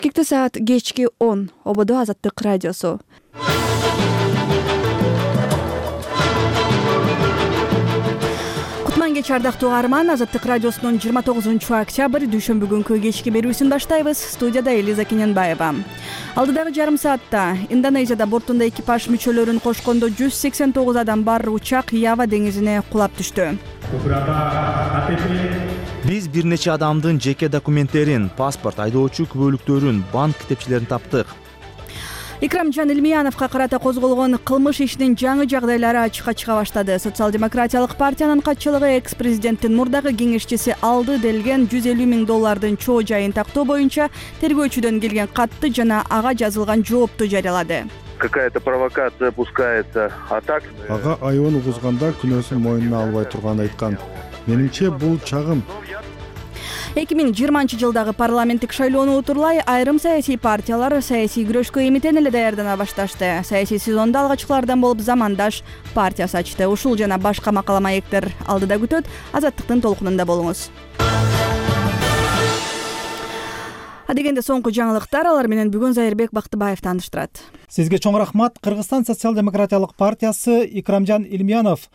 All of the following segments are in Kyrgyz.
Кикти саат кечки 10. Ободо Азаттык радиосу. Кутман кеч ардактуу угарман. Азаттык радиосунун 29-октябрь дүйшөмбү күнкү кечки берүүсүн баштайбыз. Студияда Элиза Кененбаева. Алдыдагы жарым саатта Индонезияда бортунда экипаж мүчөлөрүн кошкондо 189 адам бар учак Ява деңизине кулап түштү. Биз бир нече адамдын жеке документтерин, паспорт, айдоочу күбөлүктөрүн, банк китепчелерин таптык. Икрамжан Илмияновго карата козголгон кылмыш ишинин жаңы жагдайлары ачыкка чыга баштады. Социал-демократиялык партиянын катчылыгы экс-президенттин мурдагы кеңешчиси алды делген $150 000 чоо жайын тактоо боюнча тергөөчүдөн келген катты жана ага жазылган жоопту жарыялады. Какая-то провокация пускается, а так... Ага айыбын угузганда күнөөсүн мойнуна албай турганын айткан. Менимче бул чагым. 2020 жылдагы парламенттик шайлоону утурлай айрым саясий партиялар саясий күрөшкө эмитен эле даярдана башташты. Саясий сезондо алгачкылардан болуп Замандаш партиясы ачты. Ушул жана башка макала маектер алдыда күтөт. Азаттыктын толкунунда болуңуз. Адегенде соңку жаңылыктар, алар менен бүгүн Зайырбек Бактыбаев тааныштырат. Сизге чоң рахмат. Кыргызстан социал-демократиялык партиясы Икрамжан Илмиянов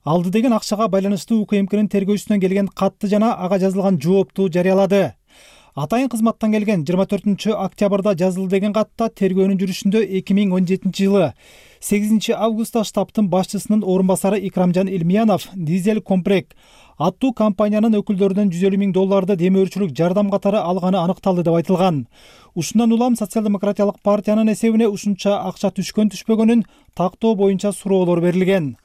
алды деген акчага байланыштуу УКМКнын тергөөчүсүнөн келген катты жана ага жазылган жоопту жарыялады. Атайын кызматтан келген 24-октябрда жазылды деген катта тергөөнүн жүрүшүндө 2017 жылы 8 августта штабтын башчысынын орун басары Икрамжан Илмиянов Дизель Комплект аттуу компаниянын өкүлдөрүнөн $150 000 демөөрчүлүк жардам катары алганы аныкталды деп айтылган. Ушундан улам социал-демократиялык партиянын эсебине ушунча акча түшкөн-түшпөгөнүн тактоо боюнча суроолор берилген.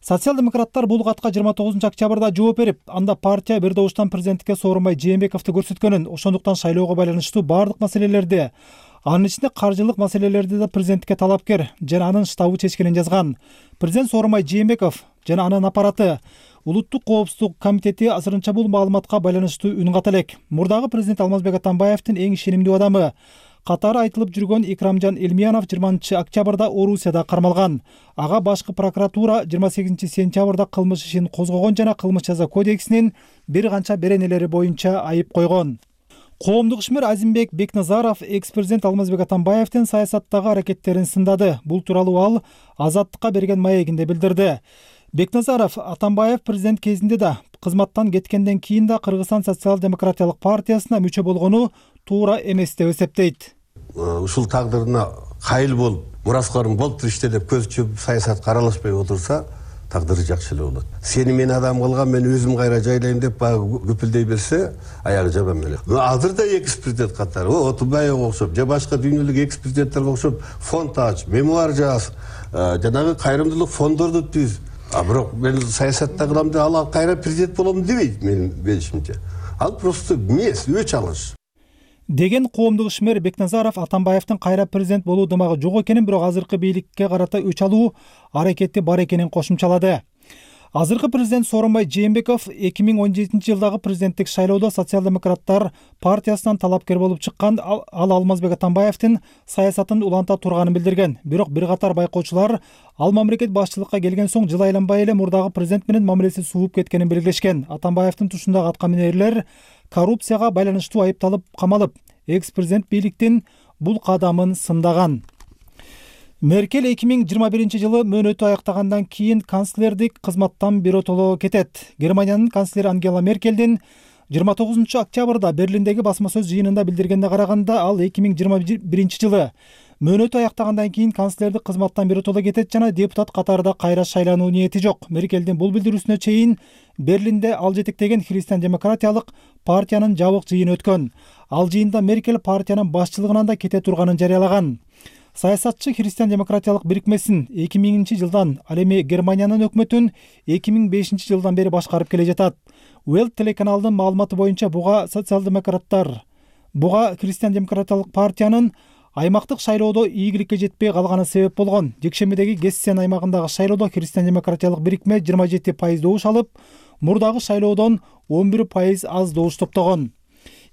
Социал-демократтар бул катка 29-октябрда жооп берип, анда партия бир добуштан президенттикке Сооронбай Жээнбековду көрсөткөнүн, ошондуктан шайлоого байланыштуу бардык маселелерди, анын ичинде каржылык маселелерди да президенттикке талапкер жана анын штабы чечкенин жазган. Президент Сооронбай Жээнбеков жана анын аппараты Улуттук коопсуздук комитети азырынча бул маалыматка байланыштуу үн ката элек. Мурдагы президент Алмазбек Атамбаевдин эң ишенимдүү адамы катары айтылып жүргөн Икрамжан Илмиянов 20-октябрда Орусияда кармалган. Ага башкы прокуратура 28 сентябрда кылмыш ишин козгогон жана кылмыш жаза кодексинин бир канча беренелери боюнча айып койгон. Коомдук ишмер Азимбек Бекназаров экс-президент Алмазбек Атамбаевдин саясаттагы аракеттерин сындады. Бул тууралуу ал Азаттыкка берген маегинде билдирди. Бекназаров Атамбаев президент кезинде да, кызматтан кеткенден кийин да Кыргызстан социал-демократиялык партиясына мүчө болгону туура эмес деп эсептейт. Ушул тагдырына кайыл болуп, мураскорун болуп иште деп көз чөп саясатка аралашпай отурса, тагдыры жакшы эле болот. Сени мен адам кылган, мен өзүм кайра жайлайм деп баягы күпүлдөй берсе, аягы жаман эле. Азыр да экс-президент катары, Отунбаевга окшоп, же башка дүйнөлүк экс-президенттерге окшоп фонд ач, мемуар жаз, жанагы кайрымдуулук фондорду түз. Бирок мен саясатта кылам деп ал кайра президент болом дебейт менин билишимче. Ал просто мес, өч алыш. Деген коомдук ишмер Бекназаров Атамбаевдин кайра президент болуу дымагы жок экенин, бирок азыркы бийликке карата өч алуу аракети бар экенин кошумчалады. Азыркы президент Сооронбай Жээнбеков 2017 жылдагы президенттик шайлоодо социал-демократтар партиясынан талапкер болуп чыккан, ал Алмазбек Атамбаевдин саясатын уланта турганын билдирген. Бирок бир катар байкоочулар ал мамлекет башчылыкка келген соң жыл айланбай эле мурдагы президент менен мамилеси сууп кеткенин белгилешкен. Атамбаевдин тушундагы аткаминерлер коррупцияга байланыштуу айыпталып камалып, экс-президент бийликтин бул кадамын сындаган. Меркель 2021 жылы мөөнөтү аяктагандан кийин канцлердик кызматтан биротоло кетет. Германиянын канцлери Ангела Меркельдин 29-октябрда Берлиндеги басма сөз жыйынында билдиргенде караганда, ал 2021 жылы мөөнөтү аяктагандан кийин канцлердик кызматтан биротоло кетет жана депутат катарында кайра шайлануу ниети жок. Меркельдин бул билдирүүсүнө чейин Берлинде ал жетектеген христиан-демократиялык партиянын жабык жыйыны өткөн. Ал жыйында Меркель партиянын башчылыгынан да кете турганын жарыялаган. Саясатчы христиан-демократиялык бирикмесин 2000 жылдан, ал эми Германиянын өкмөтүн 2005 жылдан бери башкарып келе жатат. Welt телеканалынын маалыматы боюнча буга христиан-демократиялык партиянын аймактык шайлоодо ийгиликке жетпей калганы себеп болгон. Жекшембидеги Гессен аймагындагы шайлоодо христиан-демократиялык бирикме 27% добуш алып, мурдагы шайлоодон 11% аз добуш топтогон.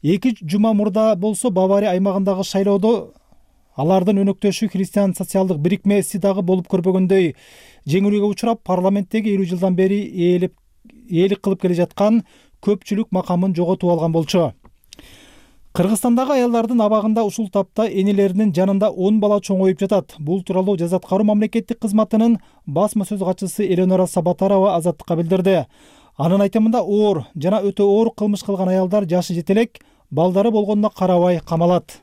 2 жума мурда болсо Бавария аймагындагы шайлоодо алардын өнөктөшү христиан социалдык бирикмеси дагы болуп көрбөгөндөй жеңилүүгө учурап, парламенттеги 50 жылдан бери ээлик кылып келе жаткан көпчүлүк макамын жоготуп алган болчу. Кыргызстандагы аялдардын абагында ушул тапта энелеринин жанында 10 бала чоңоюп жатат. Бул тууралуу Жаза аткаруу мамлекеттик кызматынын басма сөз катчысы Эленора Сабатарова Азаттыкка билдирди. Анын айтымында оор жана өтө оор кылмыш кылган аялдар жашы жете элек, балдары болгонуна карабай камалат.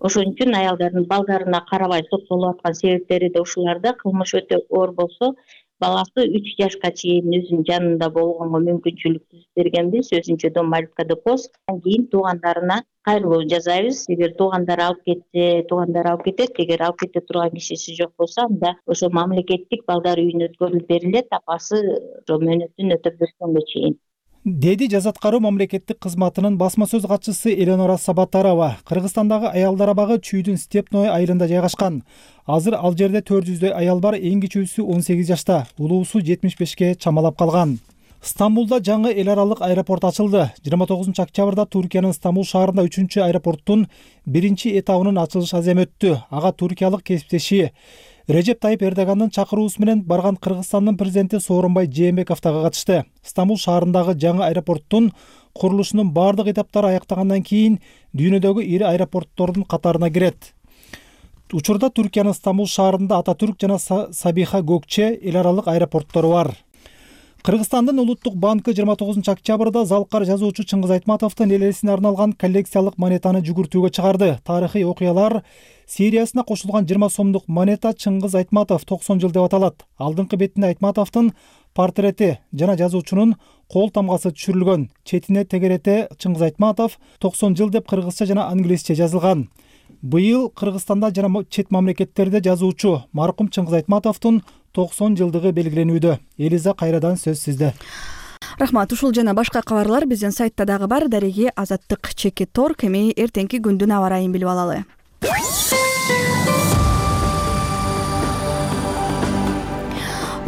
Ошон үчүн аялдардын балдарына карабай соттолуп аткан себептери да ушуларда. Кылмыш өтө оор болсо, баласы 3 жашка чейин өзүнүн жанында болгонго мүмкүнчүлүк түзүп бергенбиз. Өзүнчө дом малютка депоз. Андан кийин туугандарына кайрылуу жасайбыз. Эгер туугандары алып кетсе, туугандары алып кетет. Эгер алып кете турган кишиси жок болсо, анда ошо мамлекеттик балдар үйүнө өткөрүлүп берилет. Апасы ошо мөөнөтүн өтөп бергенге чейин. Деди Жаза аткаруу мамлекеттик кызматынын басма сөз катчысы Эленора Сабатарова. Кыргызстандагы аялдар абагы Чүйдүн Степной айылында жайгашкан. Азыр ал жерде 400дөй аял бар, эң кичүүсү 18 жашта, улуусу 75ке чамалап калган. Стамбулда жаңы эл аралык аэропорт ачылды. 29 октябрда Туркиянын Стамбул шаарында 3-чү аэропорттун 1-чи этабынын ачылыш аземи өттү. Ага туркиялык кесиптеши Режеп Тайып Эрдогандын чакыруусу менен барган Кыргызстандын президенти Сооронбай Жээнбеков дагы катышты. Стамбул шаарындагы жаңы аэропорттун курулушунун бардык этаптары аяктагандан кийин дүйнөдөгү ири аэропорттордун катарына кирет. Учурда Туркиянын Стамбул шаарында Ататүрк жана Сабиха Gökçe эл аралык аэропорттору бар. Кыргызстандын Улуттук банкы 29 октябрда залкар жазуучу Чыңгыз Айтматовдун эл элесине арналган коллекциялык монетаны жүгүртүүгө чыгарды. Тарыхый окуялар сериясына кошулган 20 сомдук монета Чыңгыз Айтматов 90 жыл деп аталат. Алдыңкы бетинде Айтматовдун портрети жана жазуучунун кол тамгасы түшүрүлгөн. Четине тегерете Чыңгыз Айтматов 90 жыл деп кыргызча жана англисче жазылган. Быйыл Кыргызстанда жана чет мамлекеттерде жазуучу маркум Чыңгыз Айтматовдун 90 жылдыгы белгиленүүдө. Элиза, кайрадан сөз сизде. Рахмат. Ушул жана башка кабарлар биздин сайтта дагы бар. Дареги Азаттык /Торг. Эми эртеңки күндүн аба ырайын билип алалы.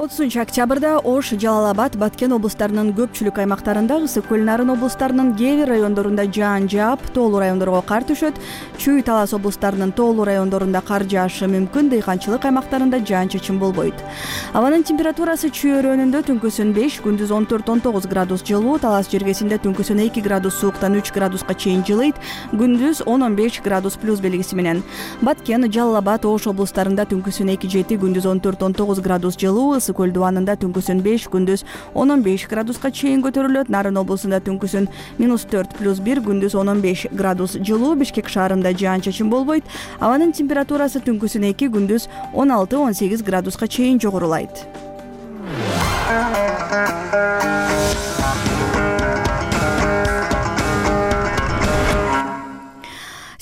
30 октябрда Ош, Жалал-Абад, Баткен облустарынын көпчүлүк аймактарында, ысык көл Нарын облустарынын кээ бир райондорунда жаан жаап, тоолуу райондорго кар түшөт. Чүй, Талас облустарынын тоолуу райондорунда кар жаашы мүмкүн, дыйканчылык аймактарында жаан-чачын болбойт. Абанын температурасы Чүй өрөөнүндө түнкүсүн 5, күндүз 14-19 градус жылуу, Талас жергесинде түнкүсүн 2 градус сууктан 3 градуска чейин жылыйт, күндүз 10-15 градус плюс белгиси менен. Баткен, Жалал-Абад, Ош облустарында түнкүсүн 2-7, күндүз 14-19 градус жылуу, ысык көл Дубанында түнкүсүн 5, күндүз 10-15 градуска чейин көтөрүлөт. Нарын облусунда түнкүсүн -4 плюс 1, күндүз 10-15 градус жылуу. Бишкек шаарында жаан-чачын болбойт. Абанын температурасы түнкүсүн 2, күндүз 16-18 градуска чейин жогорулайт.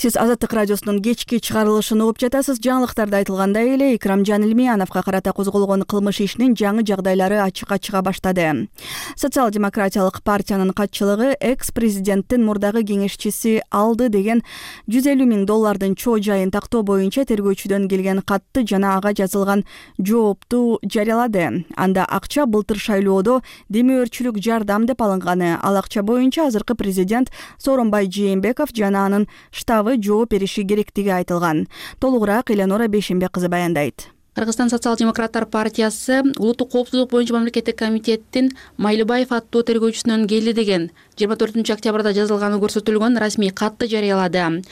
Сиз Азаттык радиосунун кечки чыгарылышын угуп жатасыз. Жаңылыктарда айтылгандай эле Икрамжан Илмияновго карата козголгон кылмыш ишинин жаңы жагдайлары ачыкка чыга баштады. Социал-демократиялык партиянын катчылыгы экс-президенттин мурдагы кеңешчиси алды деген $150 000 чоо жайын тактоо боюнча тергөөчүдөн келген катты жана ага жазылган жоопту жарыялады. Анда акча былтыр шайлоодо демөөрчүлүк жардам деп алынганы. Ал акча боюнча азыркы президент Сооронбай Жээнбеков жана анын штабы жооп бериши керектиги айтылган. Толугураак Эленора Бейшенбек кызы баяндайт. Кыргызстан социал-демократтар партиясы улуттук коопсуздук боюнча мамлекеттик комитеттин Майлыбаев аттуу тергөөчүсүнөн келди деген 24 октябрда жазылганы көрсөтүлгөн расмий катты жарыялады.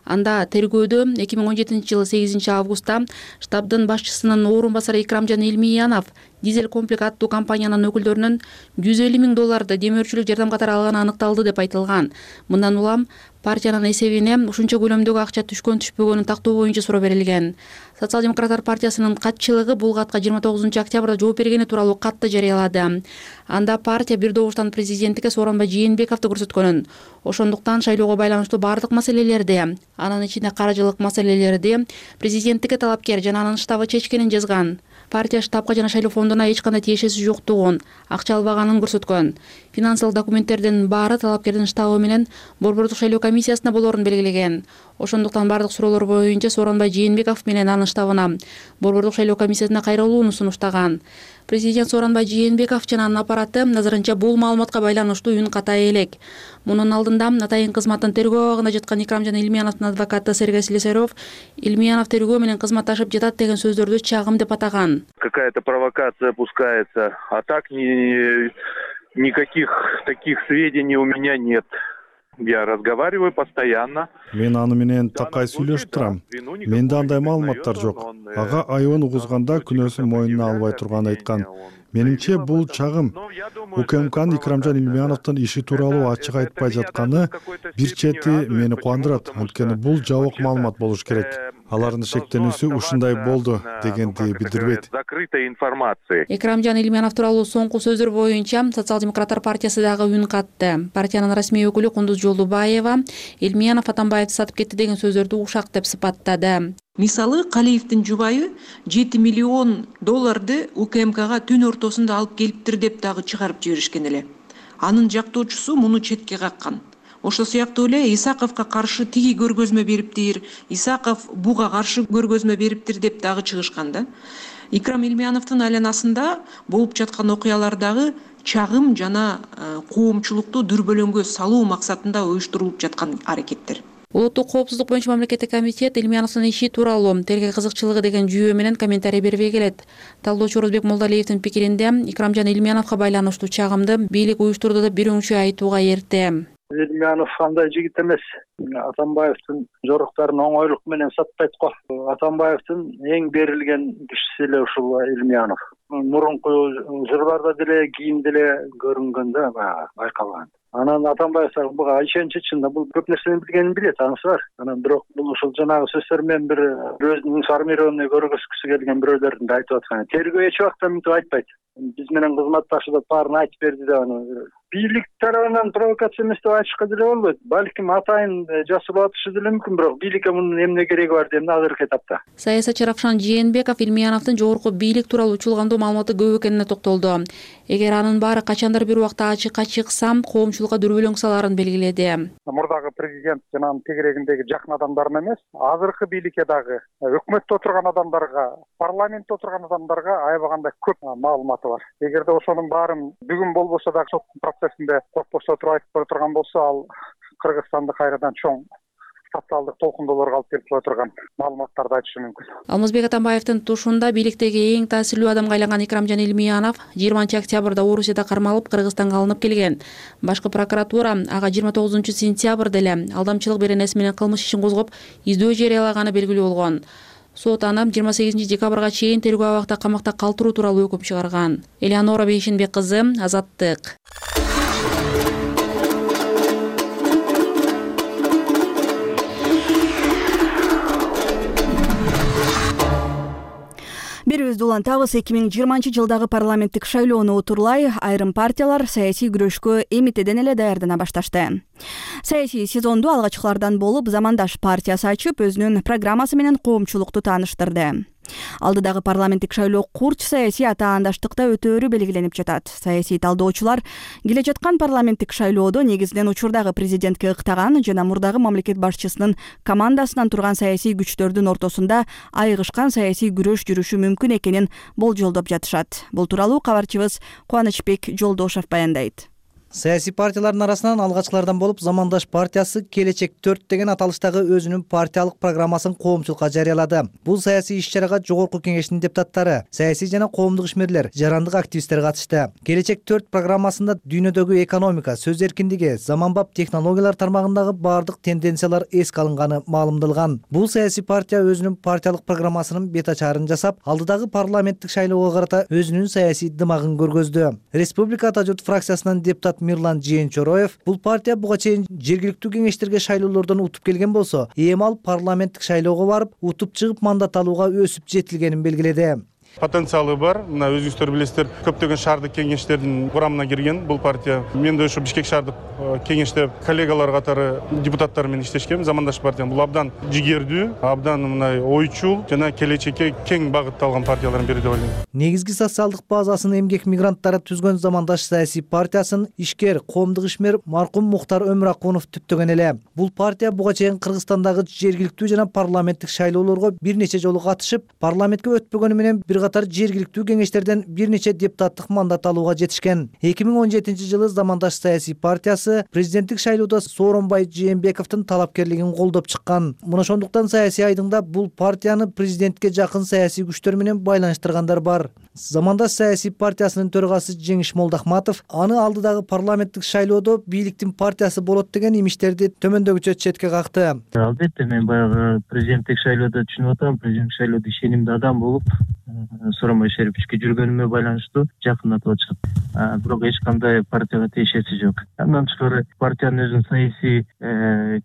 Анда тергөөдө 2017 жылы 8 августта штабдын башчысынын орун басары Икрамжан Илмиянов дизель комплект аттуу компаниянын өкүлдөрүнөн $150 000 демөөрчүлүк жардам катары алганы аныкталды деп айтылган. Мындан улам партиянын эсебине ушунча көлөмдөгү акча түшкөн-түшпөгөнүн тактоо боюнча суроо берилген. Социал-демократтар партиясынын катчылыгы бул катка 29 октябрда жооп бергени тууралуу катты жарыялады. Анда партия бир добуштан президентке Сооронбай Жээнбековду көрсөткөнүн, ошондуктан шайлоого байланыштуу бардык маселелерди, анын ичинде каржылык маселелерди президенттикке талапкер жана анын штабы чечкенин жазган. Партия штабка жана шайлоо фондуна эч кандай тиешеси жоктугун, акча албаганын көрсөткөн. Финансылык документтердин баары талапкердин штабы менен Борбордук шайлоо комиссиясына болорун белгилеген. Ошондуктан бардык суроолор боюнча Сооронбай Жээнбеков менен анын штабына Борбордук шайлоо комиссиясына кайрылууну сунуштаган. Президент Сооронбай Жээнбеков жана анын аппараты назарынча бул маалыматка байланыштуу үн катай элек. Мунун алдында Атайын кызматтын тергөө абагында жаткан Икрамжан Илмияновдун адвокаты Сергей Слесарев Илмиянов тергөө менен кызматташып жатат деген сөздөрдү чагым деп атаган. Какая-то провокация пускается, а так никаких таких сведений у меня нет. Я разговариваю постоянно. Мен аны менен такай сүйлөшүп турам. Менде андай маалыматтар жок. Ага айыбын угузганда күнөөсүн мойнуна албай турганын айткан. Менимче бул чагым. УКМКнын Икрамжан Илмияновдун иши тууралуу ачык айтпай жатканы бир чети мени кубандырат, анткени бул жабык маалымат болуш керек. Алардын шектенүүсү ушундай болду дегенди билдирбейт. Закрытой информации. Икрамжан Илмиянов тууралуу соңку сөздөр боюнча Социал-демократтар партиясы дагы үн катты. Партиянын расмий өкүлү Кундуз Жолдубаева Илмиянов Атамбаевди сатып кетти деген сөздөрдү ушак деп сыпаттады. Мисалы, Калиевдин жубайы $7 миллион УКМКга түн ортосунда алып келиптир деп дагы чыгарып жиберишкен эле. Анын жактоочусу муну четке каккан. Ошол сыяктуу эле Исаковго каршы тиги көргөзмө бериптир, Исаков буга каршы көргөзмө бериптир деп дагы чыгышкан да. Икрам Илмияновдун айланасында болуп жаткан окуялардагы чагым жана коомчулукту дүрбөлөңгө салуу максатында уюштурулуп жаткан аракеттер. Улуттук коопсуздук боюнча мамлекеттик комитет Илмияновдун иши тууралуу тергөө кызыкчылыгы деген жүйө менен комментарий бербей келет. Талдоочу Орозбек Молдалиевдин пикиринде Икрамжан Илмияновго байланыштуу чагымды бийлик уюштурду деп бир өңчө айтууга эрте. Илмиянов андай жигит эмес. Атамбаевдин жоруктарын оңойлук менен сатпайт го. Атамбаевдин эң берилген кишиси эле ушул Илмиянов. Мурунку жырларда деле, кийимде деле көрүнгөндө байкалган. Анан Атамбаев буга ишенич ичинде бул көп нерсени билгенин билет, анысы бар. Анан бирок бул ушул жанагы сөздөр менен бир өзүнүн информированный көргөзгүсү келген бирөөлөрдүн да айтып аткан. Тергөө эч убакта мынтип айтпайт. Биз менен кызматташы деп баарын айтып берди деп аны бийлик тарабынан провокация эмес деп айтышка деле болбойт. Балким атайын жасырып атышы деле мүмкүн, бирок бийликке мунун эмне кереги бар деп азыркы этапта. Саясатчы Равшан Жээнбеков Илмияновдун жогорку бийлик тууралуу учулгандуу маалыматы көп экенине токтолду. Эгер анын баары качандыр бир убакта ачыкка чыкса, коомчулукка дүрбөлөң салаарын белгиледи. Мурдагы президент жана анын тегерегиндеги жакын адамдарына эмес, азыркы бийликке дагы өкмөттө отурган адамдарга, парламентте отурган адамдарга аябагандай көп маалыматы бар. Эгерде ошонун баарын бүгүн болбосо дагы соттун процессинде коркпосо туруп айтып кое турган болсо, ал Кыргызстанды кайрадан чоң социалдык толкундоолорго алып келип кое турган маалыматтарды айтышы мүмкүн. Алмазбек Атамбаевдин тушунда бийликтеги эң таасирлүү адамга айланган Икрамжан Илмиянов 20 октябрда Орусияда кармалып Кыргызстанга алынып келген. Башкы прокуратура ага 29 сентябрда эле алдамчылык беренеси менен кылмыш ишин козгоп, издөө жарыялаганы белгилүү болгон. Сот аны 28 декабрга чейин тергөө абакта камакта калтыруу тууралуу өкүм чыгарган. Элеонора Бейшинбек кызы, Азаттык. Берүүбүздү улантабыз. 2020 жылдагы парламенттик шайлоону утурлай айрым партиялар саясий күрөшкө эмитеден эле даярдана башташты. Саясий сезонду алгачкылардан болуп Замандаш партиясы ачып, өзүнүн программасы менен коомчулукту тааныштырды. Алдыдагы парламенттик шайлоо курч саясий атаандаштыкта өтөөрү белгиленип жатат. Саясий талдоочулар келе жаткан парламенттик шайлоодо негизинен учурдагы президентке ыктаган жана мурдагы мамлекет башчысынын командасынан турган саясий күчтөрдүн ортосунда айыгышкан саясий күрөш жүрүшү мүмкүн экенин болжолдоп жатышат. Бул тууралуу кабарчыбыз Кубанычбек Жолдошов баяндайт. Саясий партиялардын арасынан алгачкылардан болуп Замандаш партиясы Келечек 4 деген аталыштагы өзүнүн партиялык программасын коомчулукка жарыялады. Бул саясий иш-чарага жогорку кеңештин депутаттары, саясий жана коомдук ишмерлер, жарандык активисттер катышты. Келечек 4 программасында дүйнөдөгү экономика, сөз эркиндиги, заманбап технологиялар тармагындагы бардык тенденциялар эске алынганы маалымдалган. Бул саясий партия өзүнүн партиялык программасынын бет ачаарын жасап, алдыдагы парламенттик шайлоого карата өзүнүн саясий дымагын көргөздү. Республика Ата журт фракциясынан депутат Мирлан Жээнчороев бул партия буга чейин жергиликтүү кеңештерге шайлоолордон утуп келген болсо, эми ал парламенттик шайлоого барып, утуп чыгып мандат алууга өсүп жетилгенин белгиледи. Потенциалы бар. Мына өзүңүздөр билесиздер, көптөгөн шаардык кеңештердин курамына кирген бул партия. Мен да ошо Бишкек шаардык кеңеште коллегалар катары депутаттар менен иштешкем. Замандаш партия бул абдан жигердүү, абдан мындай ойчул жана келечекке кең багытталган партиялардын бири деп ойлойм. Негизги социалдык базасын эмгек мигранттары түзгөн Замандаш саясий партиясын ишкер, коомдук ишмер маркум Мухтар Өмүракунов түптөгөн эле. Бул партия буга чейин Кыргызстандагы жергиликтүү жана парламенттик шайлоолорго бир нече жолу катышып, парламентке өтпөгөнү менен бир катар жергиликтүү кеңештерден бир нече депутаттык мандат алууга жетишкен. 2017-жылы Замандаш саясий партиясы президенттик шайлоодо Сооронбай Жээнбековдун талапкерлигин колдоп чыккан. Мына ошондуктан саясий айдыңда бул партияны президентке жакын саясий күчтөр менен байланыштыргандар бар. Замандаш саясий партиясынын төрагасы Жеңиш Молдохматов аны алдыдагы парламенттик шайлоодо бийликтин партиясы болот деген имиштерди төмөндөгүчө четке какты. Албетте мен баягы президенттик шайлоодо түшүнүп атам, президенттик шайлоодо ишенимдүү адам болуп, Сооронбай Шариповичке жүргөнүмө байланыштуу жакындатып атышат. Бирок эч кандай партияга тиешеси жок. Андан тышкары партиянын өзүнүн саясий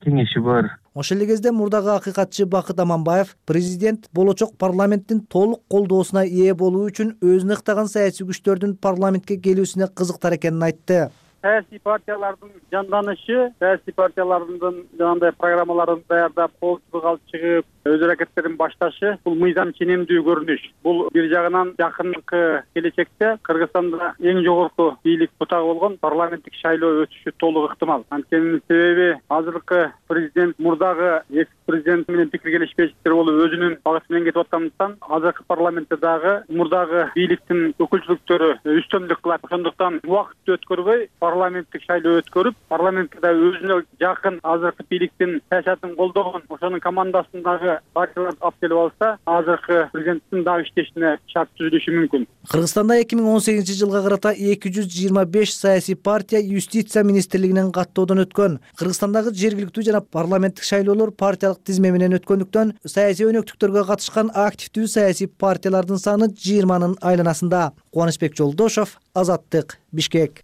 кеңеши бар. Ошол эле кезде мурдагы акыйкатчы Бакыт Аманбаев президент болочок парламенттин толук колдоосуна ээ болуу үчүн өзүнө ыктаган саясий күчтөрдүн парламентке келүүсүнө кызыктар экенин айтты. Саясий партиялардын жанданышы, саясий партиялардын жанагындай программаларын даярдап, коопсуздукка алып чыгып, өз аракеттерин башташы бул мыйзам ченемдүү көрүнүш. Бул бир жагынан жакынкы келечекте Кыргызстанда эң жогорку бийлик бутагы болгон парламенттик шайлоо өтүшү толук ыктымал. Анткени себеби азыркы президент мурдагы экс-президент менен пикир келишпештиктер болуп өзүнүн багыты менен кетип аткандыктан азыркы парламентте дагы мурдагы бийликтин өкүлчүлүктөрү үстөмдүк кылат. Ошондуктан убакытты өткөрбөй парламенттик шайлоо өткөрүп, парламентке да өзүнө жакын азыркы бийликтин саясатын колдогон ошонун командасындагы партияларды алып келип алса, азыркы президенттин дагы иштешине шарт түзүлүшү мүмкүн. Кыргызстанда 2018-жылга карата 225 саясий партия юстиция министрлигинен каттоодон өткөн. Кыргызстандагы жергиликтүү жана парламенттик шайлоолор партиялык тизме менен өткөндүктөн саясий өнөктүктөргө катышкан активдүү саясий партиялардын саны 20-нын айланасында. Кубанычбек Жолдошов, Азаттык, Бишкек.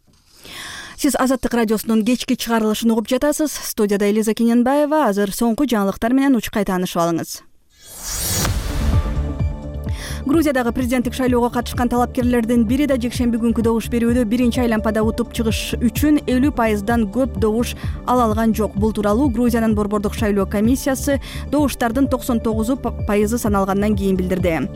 Сиз Азаттык радиосунун кечки чыгарылышын угуп жатасыз. Студияда Элиза Кененбаева. Азыр соңку жаңылыктар менен учкай таанышып алыңыз. Грузиядагы президенттик шайлоого катышкан талапкерлердин бири да жекшемби күнкү добуш берүүдө биринчи аймпада утуп чыгыш үчүн 50% көп добуш ала алган жок. Бул тууралуу Грузиянын борбордук шайлоо комиссиясы добуштардын 99% саналгандан кийин билдирди.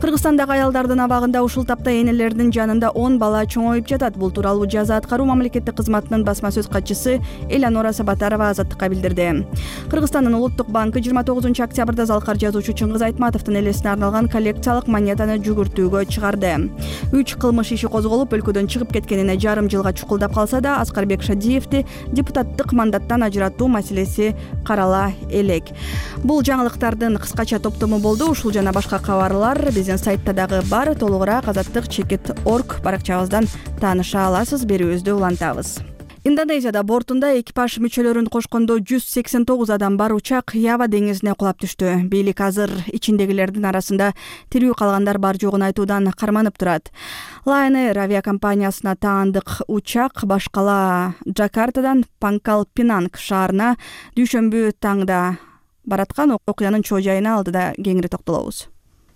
Кыргызстандагы аялдардын абагында ушул тапта энелердин жанында 10 бала чоңоюп жатат. Бул тууралуу жаза аткаруу мамлекеттик кызматынын басма сөз катчысы Элеонора Сабатарова Азаттыкка билдирди. Кыргызстандын улуттук банкы 29 октябрда залкар жазуучу Чыңгыз Айтматовдун элесине арналган коллекциялык монетаны жүгүртүүгө чыгарды. 3 кылмыш иши козголуп, өлкөдөн чыгып кеткенине жарым жылга чукулдап калса да, Аскарбек Шадиевди депутаттык мандаттан ажыратуу маселеси карала элек. Бул жаңылыктардын кыскача топтому болду. Ушул жана башка кабарлар биздин сайтта дагы бар. Толугураак azattik.org баракчабыздан тааныша аласыз. Берүүбүздү улантабыз. Индонезияда бортунда экипаж мүчөлөрүн кошкондо 189 адам бар учак Ява деңизине кулап түштү. Бийлик азыр ичиндегилердин арасында тирүү калгандар бар жогун айтуудан карманып турат. Lion Air авиакомпаниясына таандык учак башкала Джакартадан Пангкал Пинанг шаарына дүйшөмбү таңда бараткан. Окуянын чоо жайына алдыда кеңири токтолобуз.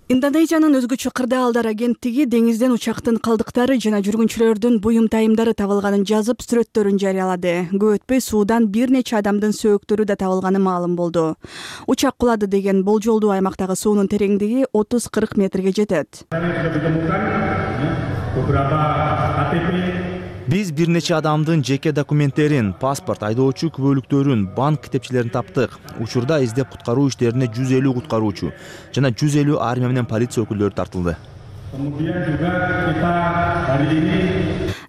Индонезиянын өзгөчө кырдаалдар агенттиги деңизден учактын калдыктары жана жүргүнчүлөрдүн буюм тайымдары табылганын жазып, сүрөттөрүн жарыялады. Көп өтпөй суудан бир нече адамдын сөөктөрү да табылганы маалым болду. Учак кулады деген болжолдуу аймактагы суунун тереңдиги 30-40 метрге жетет. Биз бир нече адамдын жеке документтерин, паспорт, айдоочу күбөлүктөрүн, банк китепчелерин таптык. Учурда издеп куткаруу иштерине 150 куткаруучу жана 150 армия менен полиция өкүлдөрү тартылды.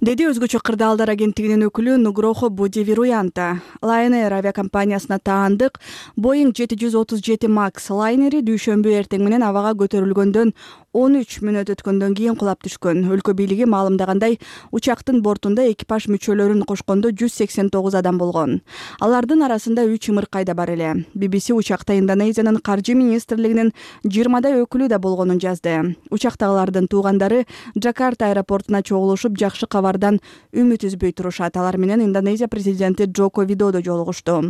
Деди өзгөчө кырдаалдар агенттигинин өкүлү Нугрохо Будивируянта. Lion Air авиакомпаниясына таандык Boeing 737 Max лайнери дүйшөмбү эртең менен абага көтөрүлгөндөн 13 мүнөт өткөндөн кийин кулап түшкөн. Өлкө бийлиги маалымдагандай, учактын бортунда экипаж мүчөлөрүн кошкондо 189 адам болгон. Алардын арасында 3 ымыркай да бар эле. BBC учакта Индонезиянын каржы министрлигинин 20 өкүлү да болгонун жазды. Учактагылардын туугандары Джакарта аэропортуна чогулушуп, жакшы кабардан үмүт үзбөй турушат. Алар менен Индонезия президенти Джоко Видодо жолугушту.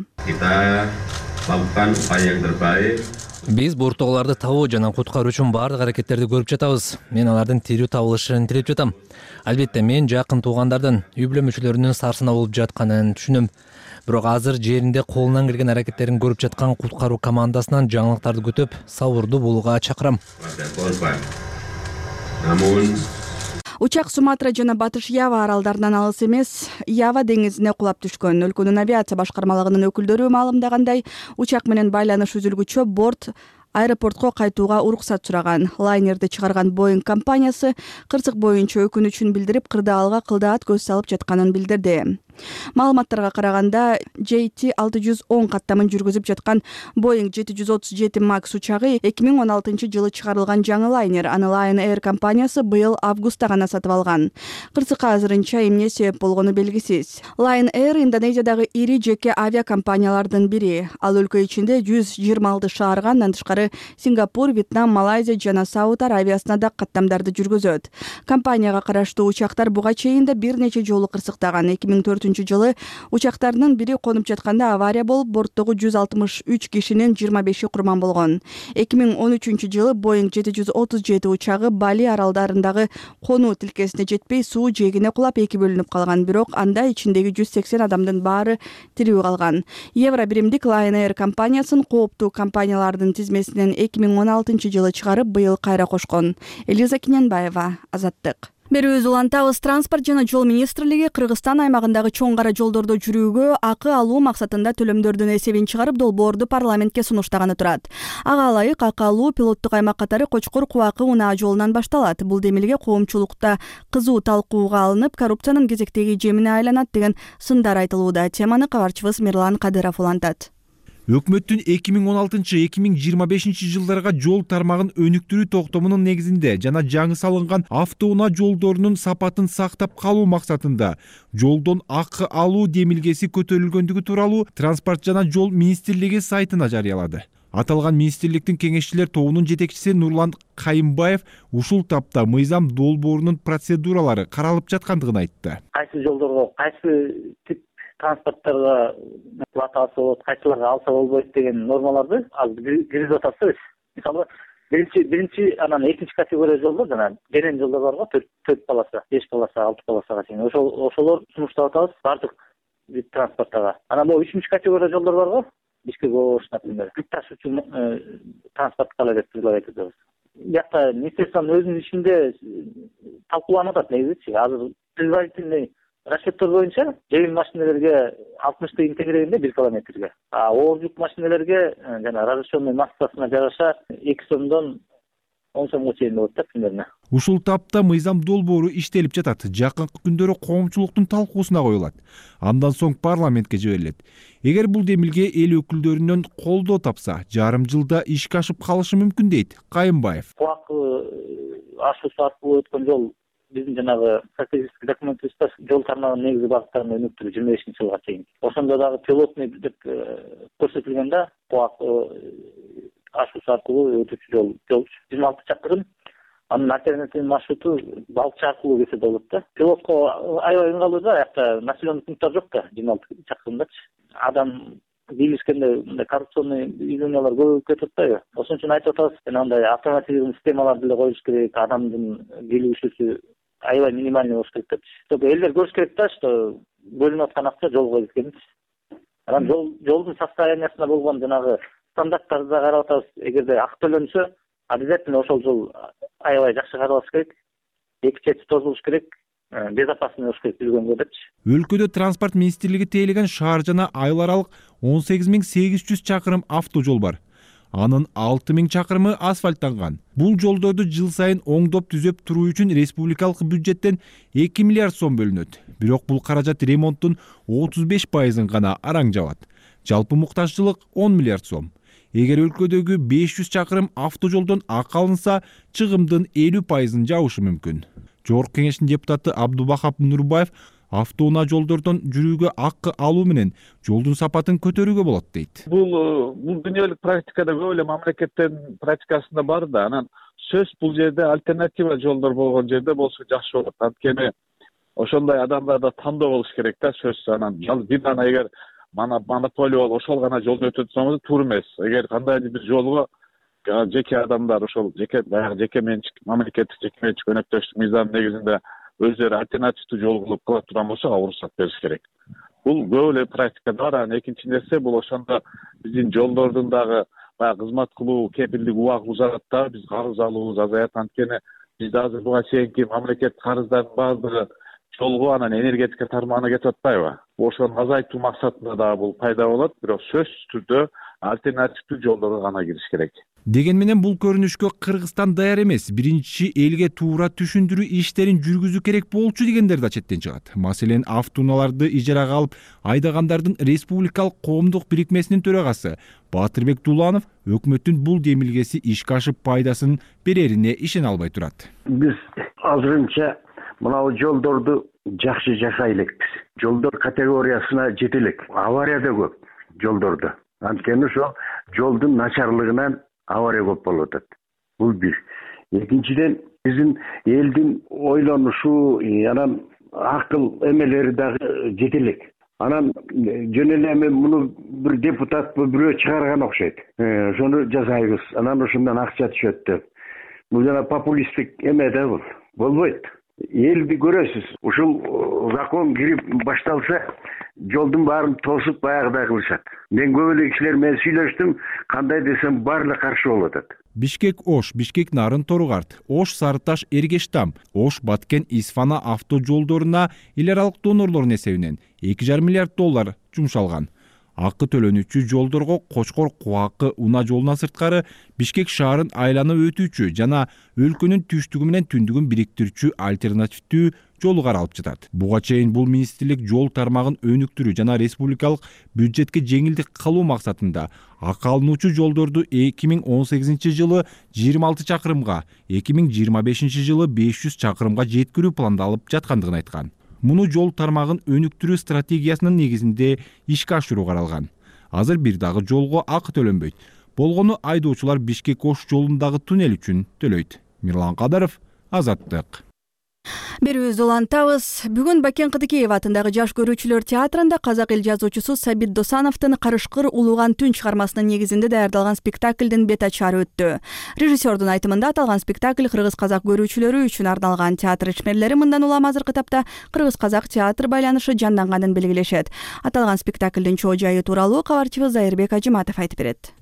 Биз борттогуларды табуу жана куткаруу үчүн баардык аракеттерди көрүп жатабыз. Мен алардын тирүү табылышын тилеп жатам. Албетте мен жакын туугандардын, үй бүлө мүчөлөрүнүн сарсына болуп жатканын түшүнөм. Бирок азыр жеринде колунан келген аракеттерин көрүп жаткан куткаруу командасынан жаңылыктарды күтүп, сабырдуу болууга чакырам. Учак Суматра жана Батыш Ява аралдарынан алыс эмес Ява деңизине кулап түшкөн. Өлкөнүн авиация башкармалыгынын өкүлдөрү маалымдагандай, учак менен байланыш үзүлгүчө борт аэропортко кайтууга уруксат сураган. Лайнерди чыгарган Boeing компаниясы кырсык боюнча өкүнүчүн билдирип, кырдаалга кылдаат көз салып жатканын билдирди. Маалыматтарга караганда, JT-610 каттамын жүргүзүп жаткан Boeing 737 MAX учагы 2016-жылы чыгарылган жаңы лайнер. Аны Lion Air компаниясы быйыл августта гана сатып алган. Кырсыкка азырынча эмне себеп болгону белгисиз. Lion Air Индонезиядагы ири жеке авиакомпаниялардын бири. Ал өлкө ичинде 126 шаарга, андан тышкары Сингапур, Вьетнам, Малайзия жана Сауд Аравиясына да каттамдарды жүргүзөт. Компанияга караштуу учактар буга чейин да бир нече жолу кырсыктаган. 2004-жылы учактардын бири конуп жатканда авария болуп, борттогу 163 кишинин 25-и курман болгон. 2013-жылы Boeing 737 учагы Бали аралдарындагы конуу тилкесине жетпей, суу жээгине кулап 2 бөлүнүп калган, бирок анда ичиндеги 180 адамдын баары тирүү калган. Евро биримдик Lion Air компаниясын кооптуу компаниялардын тизмесинен 2016-жылы чыгарып, быйыл кайра кошкон. Элиза Киненбаева, Азаттык. Берүүбүз улантабыз. Транспорт жана жол министрлиги Кыргызстан аймагындагы чоң кара жолдордо жүрүүгө акы алуу максатында төлөмдөрдүн эсебин чыгарып, долбоорду парламентке сунуштаганы турат. Ага ылайык акы алуу пилоттук аймак катары Кочкор Кубакы унаа жолунан башталат. Бул демилге коомчулукта кызуу талкууга алынып, коррупциянын кезектеги жемине айланат деген сындар айтылууда. Теманы кабарчыбыз Мирлан Кадыров улантат. Өкмөттүн 2016-2025 жылдарга жол тармагын өнүктүрүү токтомунун негизинде жана жаңы салынган автоунаа жолдорунун сапатын сактап калуу максатында жолдон акы алуу демилгеси көтөрүлгөндүгү тууралуу Транспорт жана жол министрлиги сайтына жарыялады. Аталган министрликтин кеңешчилер тобунун жетекчиси Нурлан Кайымбаев ушул тапта мыйзам долбоорунун процедуралары каралып жаткандыгын айтты. Кайсы жолдорго кайсы тип транспорттарга плата алса болот, кайсыларга алса болбойт деген нормаларды азыр киргизип атабыз. Мисалы, биринчи анан экинчи категория жолдор жана денен жолдор барго 4 полоса, 5 полоса, 6 полосага чейин. Ошолор сунуштап атабыз бардык вид транспорттага. Анан бул 3 категория жолдор барго, Бишкек Ош, например, жүк ташуучу транспорткалар деп предлагать этебиз. Бияқта министрликтин өзүнүн ичинде талкууланып атат негизичи. Азыр предварительный расчеттер боюнча жеңил машиналерге 60 тыйын тегерегинде 1 километрге. Оор жүк машиналерге жана разрешенный массасына жараша 2 сомдон 10 сомго чейин болот да примерно. Ушул тапта мыйзам долбоору иштелип жатат. Жакынкы күндөрү коомчулуктун талкуусуна коюлат. Андан соң парламентке жиберилет. Эгер бул демилге эл өкүлдөрүнөн колдоо тапса, жарым жылда ишке ашып калышы мүмкүн дейт Кайымбаев. Ашуусу аркылуу өткөн жол биздин жанагы стратегический документибизде жол тармагынын негизги багыттарын өнүктүрүү 25-жылга чейин. Ошондо дагы пилотный деп көрсөтүлгөн да, ашуусу аркылуу өтүүчү жол 26 чакырым. Анын альтернативный маршруту балыкчы аркылуу кетсе болот да. Пилотко аябай ыңгайлуу да, аякта населенный пункттар жок да, 26 чакырымдачы. Адам бийлишкенде коррупционный явлениялар көбөйүп кетип атпайбы? Ошон үчүн айтып атабыз, андай автоматизированный системаларды деле коюш керек, адамдын келүүсү аябай минимальный болуш керек депчи. Чтобы элдер көрүш керек да, что бөлүнүп аткан акча жолго кеткенин. Анан жолдун состояниясына болгон жанагы стандарттарды да карап атабыз. Эгерде акы төлөнсө, обязательно ошол жол аябай жакшы каралыш керек. Эки чети тозулуш керек. Безопасный болуш керек жүргөнгө депчи. Өлкөдө транспорт министрлиги тейлеген шаар жана айыл аралык 18800 чакырым автожол бар. Анын 6000 чакырымы асфальттанган. Бул жолдорду жыл сайын оңдоп түзөп туруу үчүн республикалык бюджеттен 2 миллиард сом бөлүнөт. Бирок бул каражат ремонттун 35%-ын гана араң жабат. Жалпы муктажчылык 10 миллиард сом. Эгер өлкөдөгү 500 чакырым автожолдон акы алынса, чыгымдын 50%-ын жабышы мүмкүн. Жогорку кеңештин депутаты Абдубахап Нурбаев автоунаа жолдордон жүрүүгө акы алуу менен жолдун сапатын көтөрүүгө болот дейт. Бул дүйнөлүк практикада көп эле мамлекеттин практикасында бар да, анан сөз бул жерде альтернатива жолдор болгон жерде болсо жакшы болот. Анткени ошондой адамдарда тандоо болуш керек да, сөз. Анан бирдана эгер монополия болуп ошол гана жолду өтөт десеңиз туура эмес. Эгер кандайдыр бир жолго жеке адамдар ошол жеке менчик мамлекеттик жеке менчик өнөктөштүк мыйзамдын негизинде өздөрү альтернативдүү жол кылып кыла турган болсо ага уруксат бериш керек. Бул көп эле практикада бар. Анан экинчи нерсе бул ошондо биздин жолдордун дагы баягы кызмат кылуу кепилдик убагы узарат да, биз карыз алуубуз азаят. Анткени бизде азыр буга чейинки мамлекет карыздардын баардыгы жолго анан энергетика тармагына кетип атпайбы? Ошону азайтуу максатында дагы бул пайда болот, бирок сөзсүз түрдө альтернативдүү жолдорго гана кириш керек. Деген менен бул көрүнүшкө Кыргызстан даяр эмес, биринчи элге туура түшүндүрүү иштерин жүргүзүү керек болчу дегендер да четтен чыгат. Маселен, автоунааларды ижарага алып айдагандардын республикалык коомдук бирикмесинин төрагасы Батырбек Дуланов өкмөттүн бул демилгеси ишке ашып пайдасын берерине ишене албай турат. Биз азырынча мынау жолдорду жакшы жасай элекпиз. Жолдор категориясына жете элек. Авария да көп жолдордо. Анткени ошол жолдун начарлыгынан авария көп болуп атат. Бул бир. Экинчиден, биздин элдин ойлонушу, анан акыл эмелери дагы жете элек. Анан жөн эле эми муну бир депутат бирөө чыгарган окшойт. Ошону жасайбыз. Анан ошондон акча түшөт деп. Бул жана популисттик эме да бул. Болбойт. Элди көрөсүз. Ушул закон кирип башталса, жолдун баарын тосуп баягыдай кылышат. Мен көп эле кишилер менен сүйлөштүм, кандай десем баары каршы болуп атат. Бишкек-Ош, Бишкек-Нарын Торугарт, Ош-Сарыташ Эргештам, Ош-Баткен-Исфана автожолдоруна эл аралык донорлордун эсебинен 2,5 миллиард доллар жумшалган. Акы төлөнүүчү жолдорго Кочкор Кубакы унаа жолунан сырткары Бишкек шаарын айланып өтүүчү жана өлкөнүн түштүгү менен түндүгүн бириктирүүчү альтернативдүү жолу каралып жатат. Буга чейин бул министрлик жол тармагын өнүктүрүү жана республикалык бюджетке жеңилдик кылуу максатында акы алынуучу жолдорду 2018 жылы 26 чакырымга, 2025 жылы 500 чакырымга жеткирүү пландалып жаткандыгын айткан. Муну жол тармагын өнүктүрүү стратегиясынын негизинде ишке ашыруу каралган. Азыр бир дагы жолго акы төлөнбөйт. Болгону айдоочулар Бишкек-Ош жолундагы туннель үчүн төлөйт. Мирлан Кадаров, Азаттык. Берүүбүздү улантабыз. Бүгүн Бакен Кыдыкеев атындагы жаш көрүүчүлөр театрында казак эл жазуучусу Сабит Досановдун Карышкыр улууган түн чыгармасынын негизинде даярдалган спектаклдин бет ачары өттү. Режиссердун айтымында аталган спектакль кыргыз-казак көрүүчүлөрү үчүн арналган. Театр ишмерлери мындан улам азыркы тапта кыргыз-казак театр байланышы жанданганын белгилешет. Аталган спектаклдин чоо жайы тууралуу кабарчыбыз Зайырбек Ажиматов айтып берет.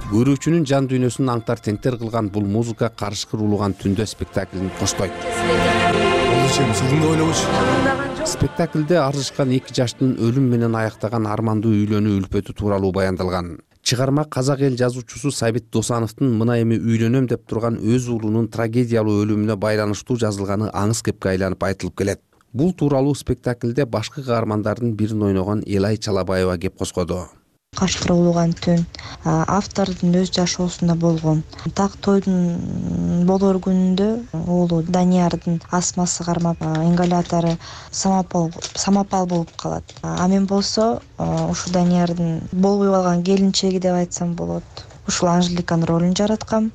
Көрүүчүнүн жан дүйнөсүн аңтар теңтер кылган бул музыка Карышкыр улууган түндө спектаклин коштойт. Спектаклде арзышкан эки жаштын өлүм менен аяктаган армандуу үйлөнүү үлпөтү тууралуу баяндалган. Чыгарма казак эл жазуучусу Сабит Досановдун мына эми үйлөнөм деп турган өз уулунун трагедиялуу өлүмүнө байланыштуу жазылганы аңыз кепке айланып айтылып келет. Бул тууралуу спектаклде башкы каармандардын бирин ойногон Элай Чалабаева кеп коскоду. Карышкыр улууган түн автордун өз жашоосунда болгон. Так тойдун болор күнүндө уулу Даниярдын астмасы кармап, ингалятору самопал болуп калат. Мен болсо ушу Даниярдын болбой калган келинчеги деп айтсам болот. Ушул Анжеликанын ролун жараткам.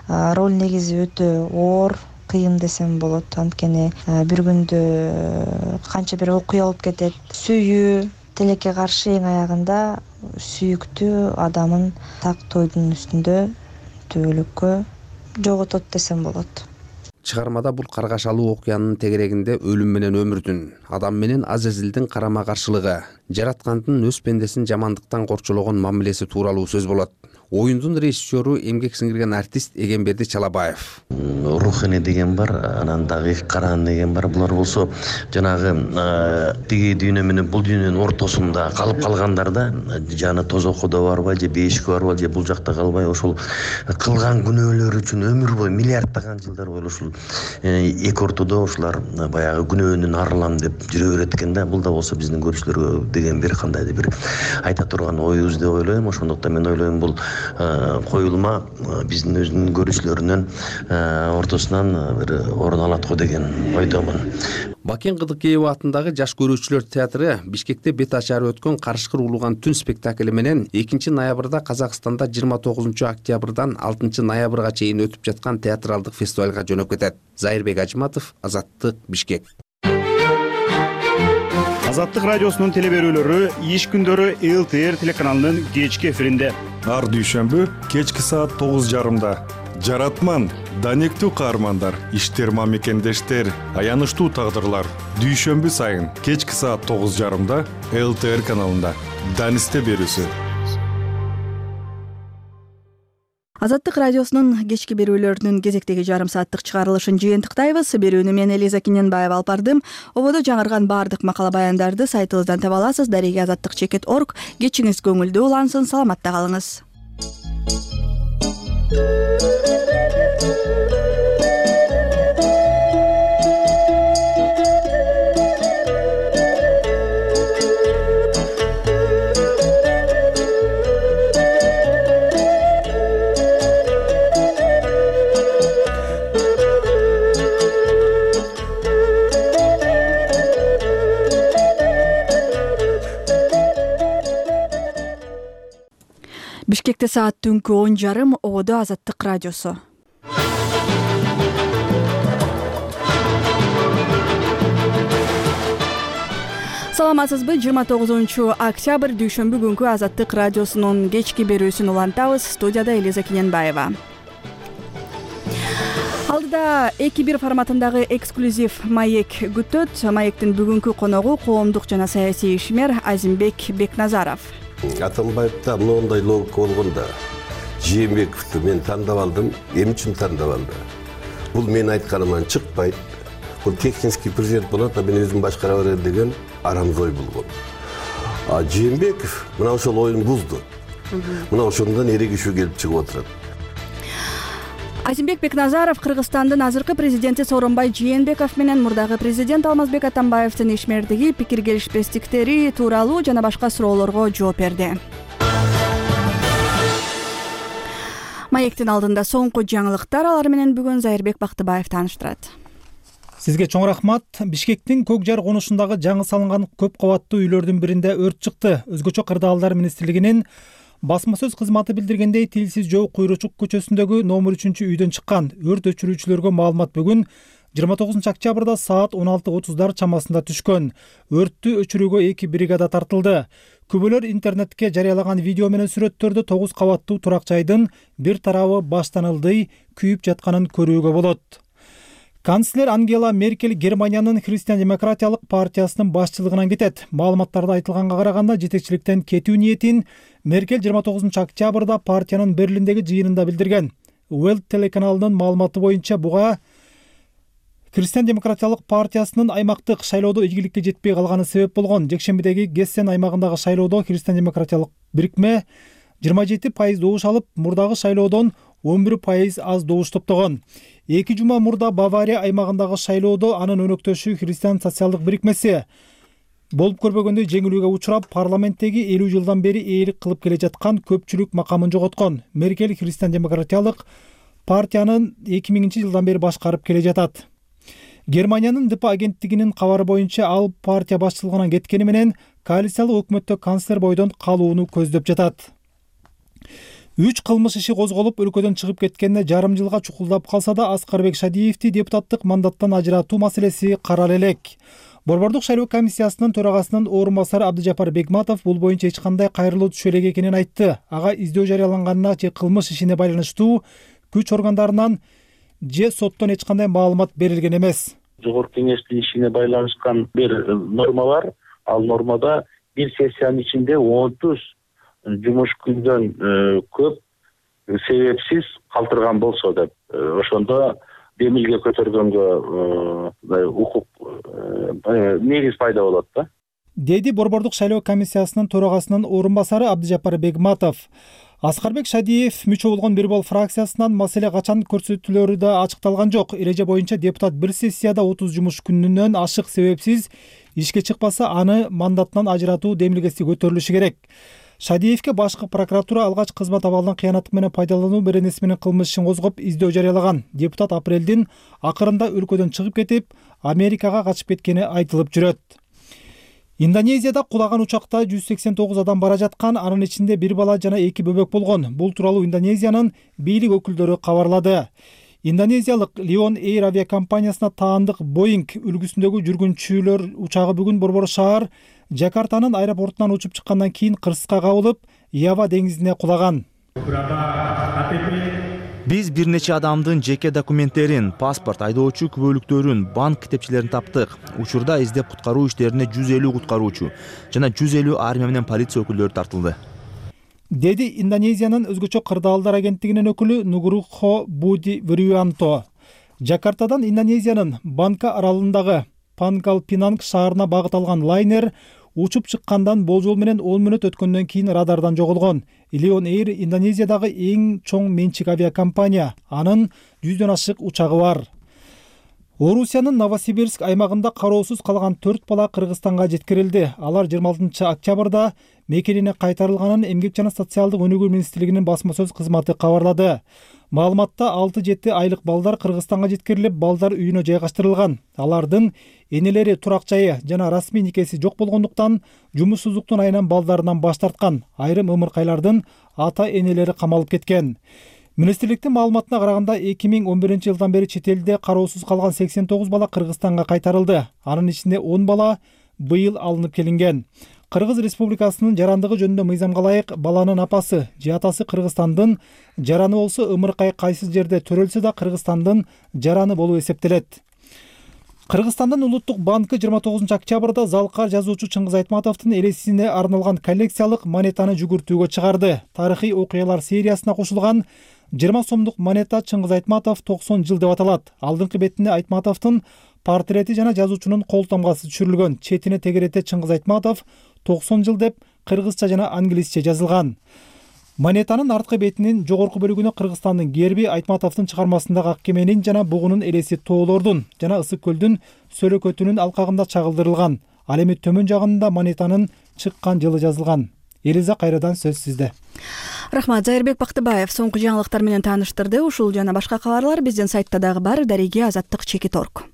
Роль негизи өтө оор, кыйын десем болот. Анткени бир күндө канча бир окуя болуп кетет. Сүйүү тилекке каршы эң аягында сүйүктүү адамын так тойдун үстүндө түбөлүккө жоготот десем болот. Чыгармада бул каргашалуу окуянын тегерегинде өлүм менен өмүрдүн, адам менен Азазилдин карама каршылыгы, жараткандын өз пендесин жамандыктан корчологон мамилеси тууралуу сөз болот. Оюндун режиссеру эмгек сиңирген артист Эгемберди Чалабаев. Рухани деген бар, анан дагы Каран деген бар. Булар болсо жанагы тиги дүйнө менен бул дүйнөнүн ортосунда калып калгандарда, жаны тозоккодо барбай же бейишке барбай же бул жакта калбай ошол кылган күнөөлөр үчүн өмүр бою миллиарддаган жылдар бою ушул эки ортодо ушулар баягы күнөөнүн арылам деп жүрө берет экен да. Бул да болсо биздин көрүүчүлөргө деген бир кандайдыр бир айта турган оюбуз деп ойлойм. Ошондуктан мен ойлойм бул коюлма биздин өзүнүн көрүүчүлөрүнүн ортосунан бир орун алат го деген ойдомун. Бакен Кыдыкеев атындагы жаш көрүүчүлөр театры Бишкекте бет ачары өткөн Карышкыр улууган түн спектакли менен 2 ноябрда Казакстанда 29 октябрдан 6 ноябрга чейин өтүп жаткан театралдык фестивалга жөнөп кетет. Зайырбек Ажиматов, Азаттык, Бишкек. Азаттык радиосунун телеберүүлөрү иш күндөрү ЛТР телеканалынын кечки эфиринде. Ар дүйшөмбү кечки саат 9:30. Жаратман, данектүү каармандар, иштер мамекендештер, аянычтуу тагдырлар. Дүйшөмбү сайын кечки саат 9:30 ЛТР каналында. Данисте берүүсү. Азаттык радиосунун кечки берүүлөрүнүн кезектеги жарым сааттык чыгарылышын жыйынтыктайбыз. Берүүнү мен Элиза Киненбаева алып бардым. Ободо жаңырган баардык макала баяндарды сайтыбыздан таба аласыз. Дареги azаттык.org. Кечиңиз көңүлдүү улансын, саламатта калыңыз. Бишкекте саат түнкү 10:30. Ободо Азаттык радиосу. Саламатсызбы? 29-октябрь дүйшөмбү күнкү Азаттык радиосунун кечки берүүсүн улантабыз. Студияда Элиза Киненбаева. Алдыда 2-1 форматындагы эксклюзив маек күтөт. Маектин бүгүнкү коногу коомдук жана саясий ишмер Азимбек Бекназаров. Атамбаевда моундай логика болгондо Жээнбековду мен тандап алдым. Эмне үчүн тандап алды? Бул мен айтканыман чыкпайт. Бул технический президент болот, а мен өзүм башкара берем деген арамыз ой болгон. А Жээнбеков мына ошол оюн бузду. Мына ошондон эрегишүү келип чыгып отурат. Азимбек Бекназаров Кыргызстандын азыркы президенти Сооронбай Жээнбеков менен мурдагы президент Алмазбек Атамбаевдин ишмердиги, пикир келишпестиктери тууралуу жана башка суроолорго жооп берди. Маектин алдында соңку жаңылыктар, алар менен бүгүн Зайырбек Бактыбаев тааныштырат. Сизге чоң рахмат. Бишкектин Көк Жар конушундагы жаңы салынган көп кабаттуу үйлөрдүн биринде өрт чыкты. Өзгөчө кырдаалдар министрлигинин басма сөз кызматы билдиргендей, Тилсиз жол Куйручук көчөсүндөгү номер 3-үйдөн чыккан. Өрт өчүрүүчүлөргө маалымат бүгүн 29-октябрда саат 16:30 чамасында түшкөн. Өрттү өчүрүүгө 2 бригада тартылды. Күбөлөр интернетке жарыялаган видео менен сүрөттөрдө 9 кабаттуу турак жайдын бир тарабы баштан ылдый күйүп жатканын көрүүгө болот. Канцлер Ангела Меркель Германиянын Христиан-демократиялык партиясынын башчылыгынан кетет. Маалыматтарда айтылганга караганда, жетекчиликтен кетүү ниетин Меркель 29-октябрда партиянын Берлиндеги жыйынында билдирген. Welt телеканалынын маалыматы боюнча, буга Христиан-демократиялык партиясынын аймактык шайлоодо ийгиликке жетпей калганы себеп болгон. Жекшембидеги Гессен аймагындагы шайлоодо Христиан-демократиялык бирикме 27% добуш алып, мурдагы шайлоодон 11% аз добуш топтогон. 2 жума мурда Бавария аймагындагы шайлоодо анын өнөктөшү Христиан социалдык бирикмеси болуп көрбөгөндөй жеңилүүгө учурап, парламенттеги 50 жылдан бери ээлик кылып келе жаткан көпчүлүк макамын жоготкон. Меркель Христиан-демократиялык партиянын 2000 жылдан бери башкарып келе жатат. Германиянын ДП агенттигинин кабары боюнча, ал партия башчылыгынан кеткени менен коалициялык өкмөттө канцлер бойдон калууну көздөп жатат. 3 кылмыш иши козголуп, өлкөдөн чыгып кеткенине жарым жылга чукулдап калса да, Аскарбек Шадиевди депутаттык мандаттан ажыратуу маселеси карале элек. Борбордук шайлоо комиссиясынын төрагасынын орун басары Абдыжапар Бегматов бул боюнча эч кандай кайрылуу түшө элек экенин айтты. Ага издөө жарыяланганына же кылмыш ишине байланыштуу күч органдарынан же соттон эч кандай маалымат берилген эмес. Жогорку кеңештин ишине байланышкан бир норма бар. Ал нормада бир сессиянын ичинде 30 жумуш күндөн көп себепсиз калтырган болсо деп, ошондо демилге көтөргөнгө укук негиз пайда болот да, деди Борбордук шайлоо комиссиясынын төрагасынын орун басары Абдыжапар Бегматов. Аскарбек Шадиев мүчө болгон Бирбол фракциясынан маселе качан көрсөтүлөрү да ачыкталган жок. Эреже боюнча депутат бир сессияда 30 жумуш күнүнөн ашык себепсиз ишке чыкпаса, аны мандатынан ажыратуу демилгеси көтөрүлүшү керек. Шадиевке башкы прокуратура алгач кызмат абалынан кыянат менен пайдалануу беренеси менен кылмыш ишин козгоп издөө жарыялаган. Депутат апрелдин акырында өлкөдөн чыгып кетип, Америкага качып кеткени айтылып жүрөт. Индонезияда кулаган учакта 189 адам бара жаткан, анын ичинде бир бала жана 2 бөбөк болгон. Бул тууралуу Индонезиянын бийлик өкүлдөрү кабарлады. Индонезиялык Lion Air авиакомпаниясына таандык Boeing үлгүсүндөгү жүргүнчүлөр учагы бүгүн борбор шаар Жакартанын аэропортунан учуп чыккандан кийин кырсыкка кабылып, Ява деңизине кулаган. Биз бир нече адамдын жеке документтерин, паспорт, айдоочу күбөлүктөрүн, банк китепчелерин таптык. Учурда издеп куткаруу иштерине 150 куткаруучу жана 150 армия менен полиция өкүлдөрү тартылды. деди Индонезиянын өзгөчө кырдаалдар агенттигинин өкүлү Нугрохо Буди Вируянто. Жакартадан Индонезиянын Банка аралындагы Пангкалпинанг шаарына багыт алган лайнер учуп чыккандан болжол менен 10 мүнөт өткөндөн кийин радардан жоголгон. Lion Air Индонезиядагы эң чоң менчик авиакомпания. Анын 100дөн ашык учагы бар. Орусиянын Новосибирск аймагында кароосуз калган 4 бала Кыргызстанга жеткирилди. Алар 26 октябрда мекенине кайтарылганын Эмгек жана социалдык өнүгүү министрлигинин басма сөз кызматы кабарлады. Маалыматта 6-7 айлык балдар Кыргызстанга жеткирилип, балдар үйүнө жайгаштырылган. Алардын энелери турак жайы жана расмий никеси жок болгондуктан жумушсуздуктун айынан балдарынан баш тарткан. Айрым ымыркайлардын ата энелери камалып кеткен. Министрликтин маалыматына караганда 2011-жылдан бери чет элде кароосуз калган 89 бала Кыргызстанга кайтарылды. Анын ичинде 10 бала быйыл алынып келинген. Кыргыз Республикасынын жарандыгы жөнүндө мыйзамга ылайык баланын апасы же атасы Кыргызстандын жараны болсо ымыркай кайсы жерде төрөлсө да Кыргызстандын жараны болуп эсептелет. Кыргызстандын Улуттук банкы 29 октябрда залкар жазуучу Чыңгыз Айтматовдун элесине арналган коллекциялык монетаны жүгүртүүгө чыгарды. Тарыхый окуялар сериясына кошулган 20 сомдук монета Чыңгыз Айтматов 90 жыл деп аталат. Алдыңкы бетине Айтматовдун портрети жана жазуучунун кол тамгасы түшүрүлгөн. Четине тегерете Чыңгыз Айтматов 90 жыл деп кыргызча жана англисче жазылган. Монетанын арткы бетинин жогорку бөлүгүнө Кыргызстандын герби, Айтматовдун чыгармасындагы ак кеменин жана бугунун элеси тоолордун жана Ысык көлдүн сөлөкөтүнүн алкагында чагылдырылган. Ал эми төмөн жагында монетанын чыккан жылы жазылган. Элиза, кайрадан сөз сизде. Рахмат. Зайырбек Бактыбаев соңку жаңылыктар менен тааныштырды. Ушул жана башка кабарлар биздин сайтта дагы бар. Дареги Азаттык.org.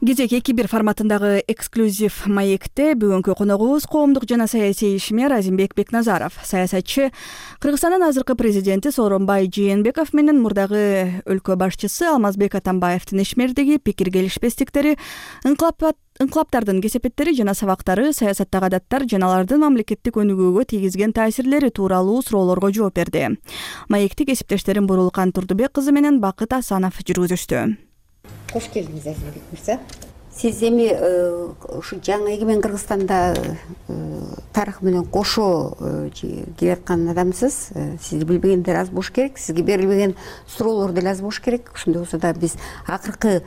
Кезек 2-1 форматындагы эксклюзив маекте бүгүнкү коногубуз коомдук жана саясий ишмер Азимбек Бекназаров. Саясатчы Кыргызстандын азыркы президенти Сооронбай Жээнбеков менен мурдагы өлкө башчысы Алмазбек Атамбаевдин ишмердиги пикир келишпестиктери, ыңкылаптардын кесепеттери жана сабактары, саясаттагы адаттар жана алардын мамлекеттик өнүгүүгө тийгизген таасирлери тууралуу суроолорго жооп берди. Маекти кесиптештерим Бурулкан Турдубек кызы менен Бакыт Асанов жүргүзүштү. Кош келдиңиз, Азимбек мырза. Сиз эми ушу жаңы эгемен Кыргызстанда тарых менен кошо келаткан адамсыз. Сизди билбегендер аз болуш керек, сизге берилбеген суроолор деле аз болуш керек. Ошондой болсо да биз акыркы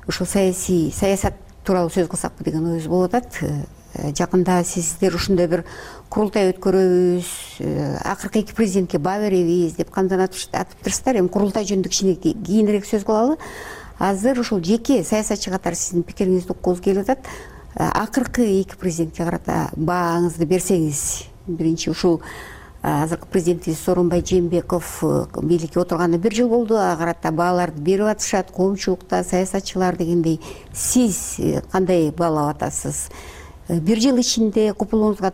ушул саясат тууралуу сөз кылсакпы деген оюбуз болуп атат. Жакында сиздер ушундай бир курултай өткөрөбүз, акыркы 2 президентке баа беребиз деп кандай атыптырсыздар. Эми курултай жөнүндө кичине кийинирээк сөз кылалы. Азыр ушул жеке саясатчы катары сиздин пикириңизди уккубуз келип атат. Акыркы 2 президентке карата бааңызды берсеңиз. Биринчи ушул азыркы президентибиз Сооронбай Жээнбеков бийликке отурганына 1 жыл болду. Ага карата бааларды берип атышат, коомчулукта саясатчылар дегендей. Сиз кандай баалап атасыз? 1 жыл ичинде купулууңузга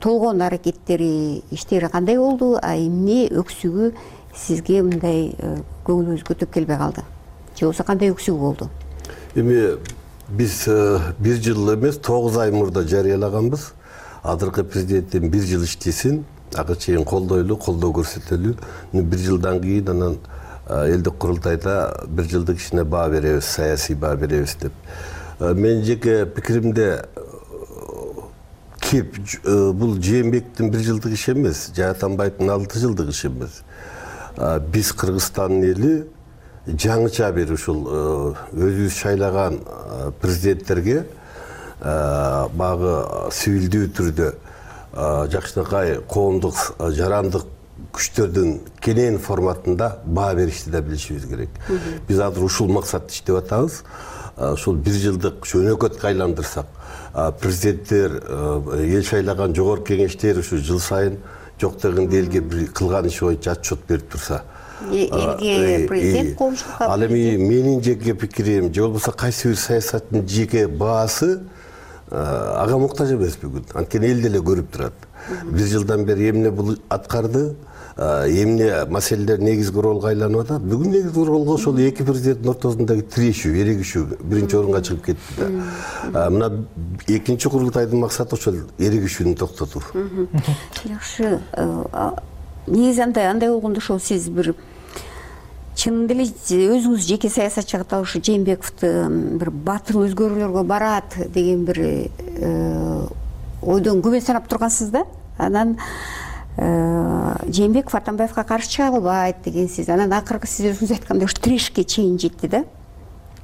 толгон аракеттери, иштери кандай болду? Эмне өксүгү сизге мындай көңүлүңүзгө төп келбей калды? Же болсо кандай өксүгү болду? Эми биз 1 жыл эмес, 9 ай мурда жарыялаганбыз. Азыркы президенттин 1 жыл иштесин, ага чейин колдойлуу, колдоо көрсөтөлүү. 1 жылдан кийин анан элдик курултайда 1 жылдык ишине баа беребиз, саясий баа беребиз деп. Мен жеке пикиримде бул Жээнбектин 1 жылдык иши эмес, Атамбаевдин 6 жылдык иши эмес. Биз Кыргызстандын эли жаңыча бир ушул өзүбүз шайлаган президенттерге багы сивилдүү түрдө жакшынакай коомдук жарандык күчтөрдүн кенен форматында баа беришти да билишибиз керек. Биз азыр ушул максатты иштеп атабыз. Ушул 1 жылдык өнөкөткө айландырсак, президенттер, эл шайлаган жогорку кеңештер ушу жыл сайын жок дегенде элге бир кылган иши боюнча отчет берип турса, элге президент коомчулукка ал эми менин жеке пикирим, же болбосо кайсы бир саясаттын жеке баасы ага муктаж эмес бүгүн. Анткени эл деле көрүп турат. 1 жылдан бери эмне бул аткарды, эмне маселелер негизги ролго айланып атат. Бүгүн негизги ролго ошол 2 президенттин ортосундагы тирешүү, эрегишүү 1-чи орунга чыгып кетти да. Мына 2-чи курултайдын максаты ошол эрегишүүнү токтотуу. Жакшы. Негизи андай болгондо ошол сиз бир чынында эле өзүңүз жеке саясатчы катары ушу Жээнбековду бир батыл өзгөрүүлөргө барат деген бир ойдон күбө санап тургансыз да. Анан Жээнбеков Атамбаевга каршы чыга албайт дегенсиз. Анан акыркы сиз өзүңүз айткандай ушу тирешке чейин жетти да.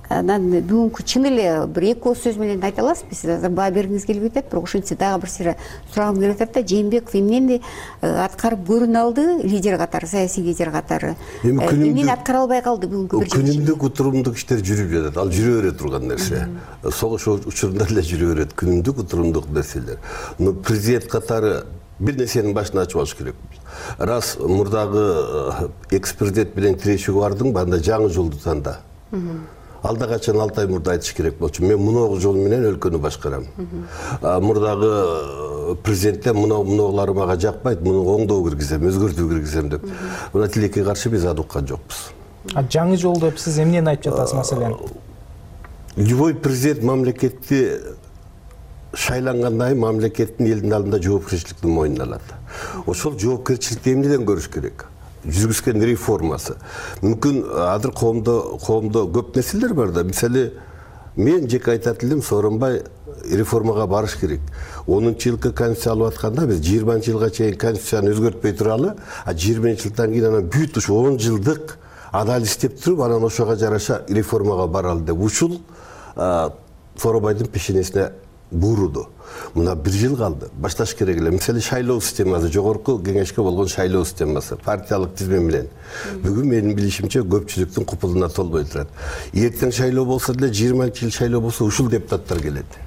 Анан бүгүнкү чын эле бир эки ооз сөз менен айта аласызбы? Сиз азыр баа бергиңиз келип атат, бирок ошентсе дагы бир сыйра сурагым келип атат да. Жээнбеков эмнени аткарып көрүнө алды лидер катары, саясий лидер катары? Эмнени аткара албай калды бүгүнкү бир күнүмдүк утурумдук иштер жүрүп жатат. Ал жүрө бере турган нерсе. Согуш учурунда эле жүрө берет күнүмдүк утурумдук нерселер. Президент катары бир нерсенин башын ачып алыш керек. Раз мурдагы экс-президент менен тирешүүгө бардың, анда жаңы жолду танда. Алда качан 6 ай мурда айтыш керек болчу. Мен муногу жол менен өлкөнү башкарам. Мурдагы президентте мунулары мага жакпайт, муну оңдоо киргизем, өзгөртүү киргизем деп. Мына тилекке каршы биз аны уккан жокпуз. Жаңы жол деп сиз эмнени айтып жатасыз маселен? Любой президент мамлекетти шайлангандан кийин мамлекеттин элдин алдында жоопкерчиликти мойнуна алат. Ошол жоопкерчиликти эмнеден көрүш керек? Жүргүзгөн реформасы. Мүмкүн азыр коомдо көп нерселер бар да. Мисалы, мен жеке айтат элем, Сооронбай реформага барыш керек. 10-жылкы конституция алып атканда биз 20-жылга чейин конституцияны өзгөртпөй туралы, 20-жылдан кийин анан бүт ушу 10 жылдык адал иштеп туруп, анан ошого жараша реформага баралы деп ушул Сооронбайдын пешенесине буруду. Мына 1 жыл калды. Башташ керек эле. Мисалы, шайлоо системасы, жогорку кеңешке болгон шайлоо системасы, партиялык тизме менен. Бүгүн менин билишимче көпчүлүктүн купулуна толбой турат. Эртең шайлоо болсо деле 20 жыл шайлоо болсо ушул депутаттар келет.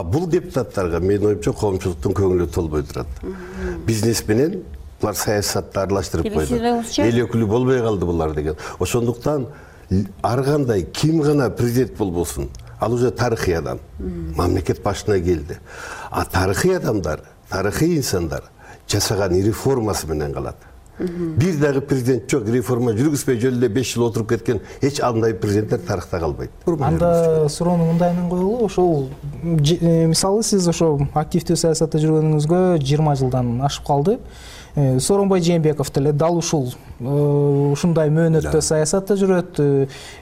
Бул депутаттарга менин оюмча коомчулуктун көңүлү толбой турат. Бизнес менен булар саясатты аралаштырып койду. Эл өкүлү болбой калды булар деген. Ошондуктан ар кандай ким гана президент болбосун, ал уже тарыхый адам. Мамлекет башына келди. Тарыхый адамдар, тарыхый инсандар жасаган реформасы менен калат. Бир дагы президент жок, реформа жүргүзбөй жөн эле 5 жыл отуруп кеткен эч андай президенттер тарыхта калбайт. Анда суроону мындай менен коелу, ошол мисалы сиз ошо активдүү саясатта жүргөнүңүзгө 20 жылдан ашып калды. Сооронбай Жээнбеков деле дал ушундай мөөнөттө саясатта жүрөт,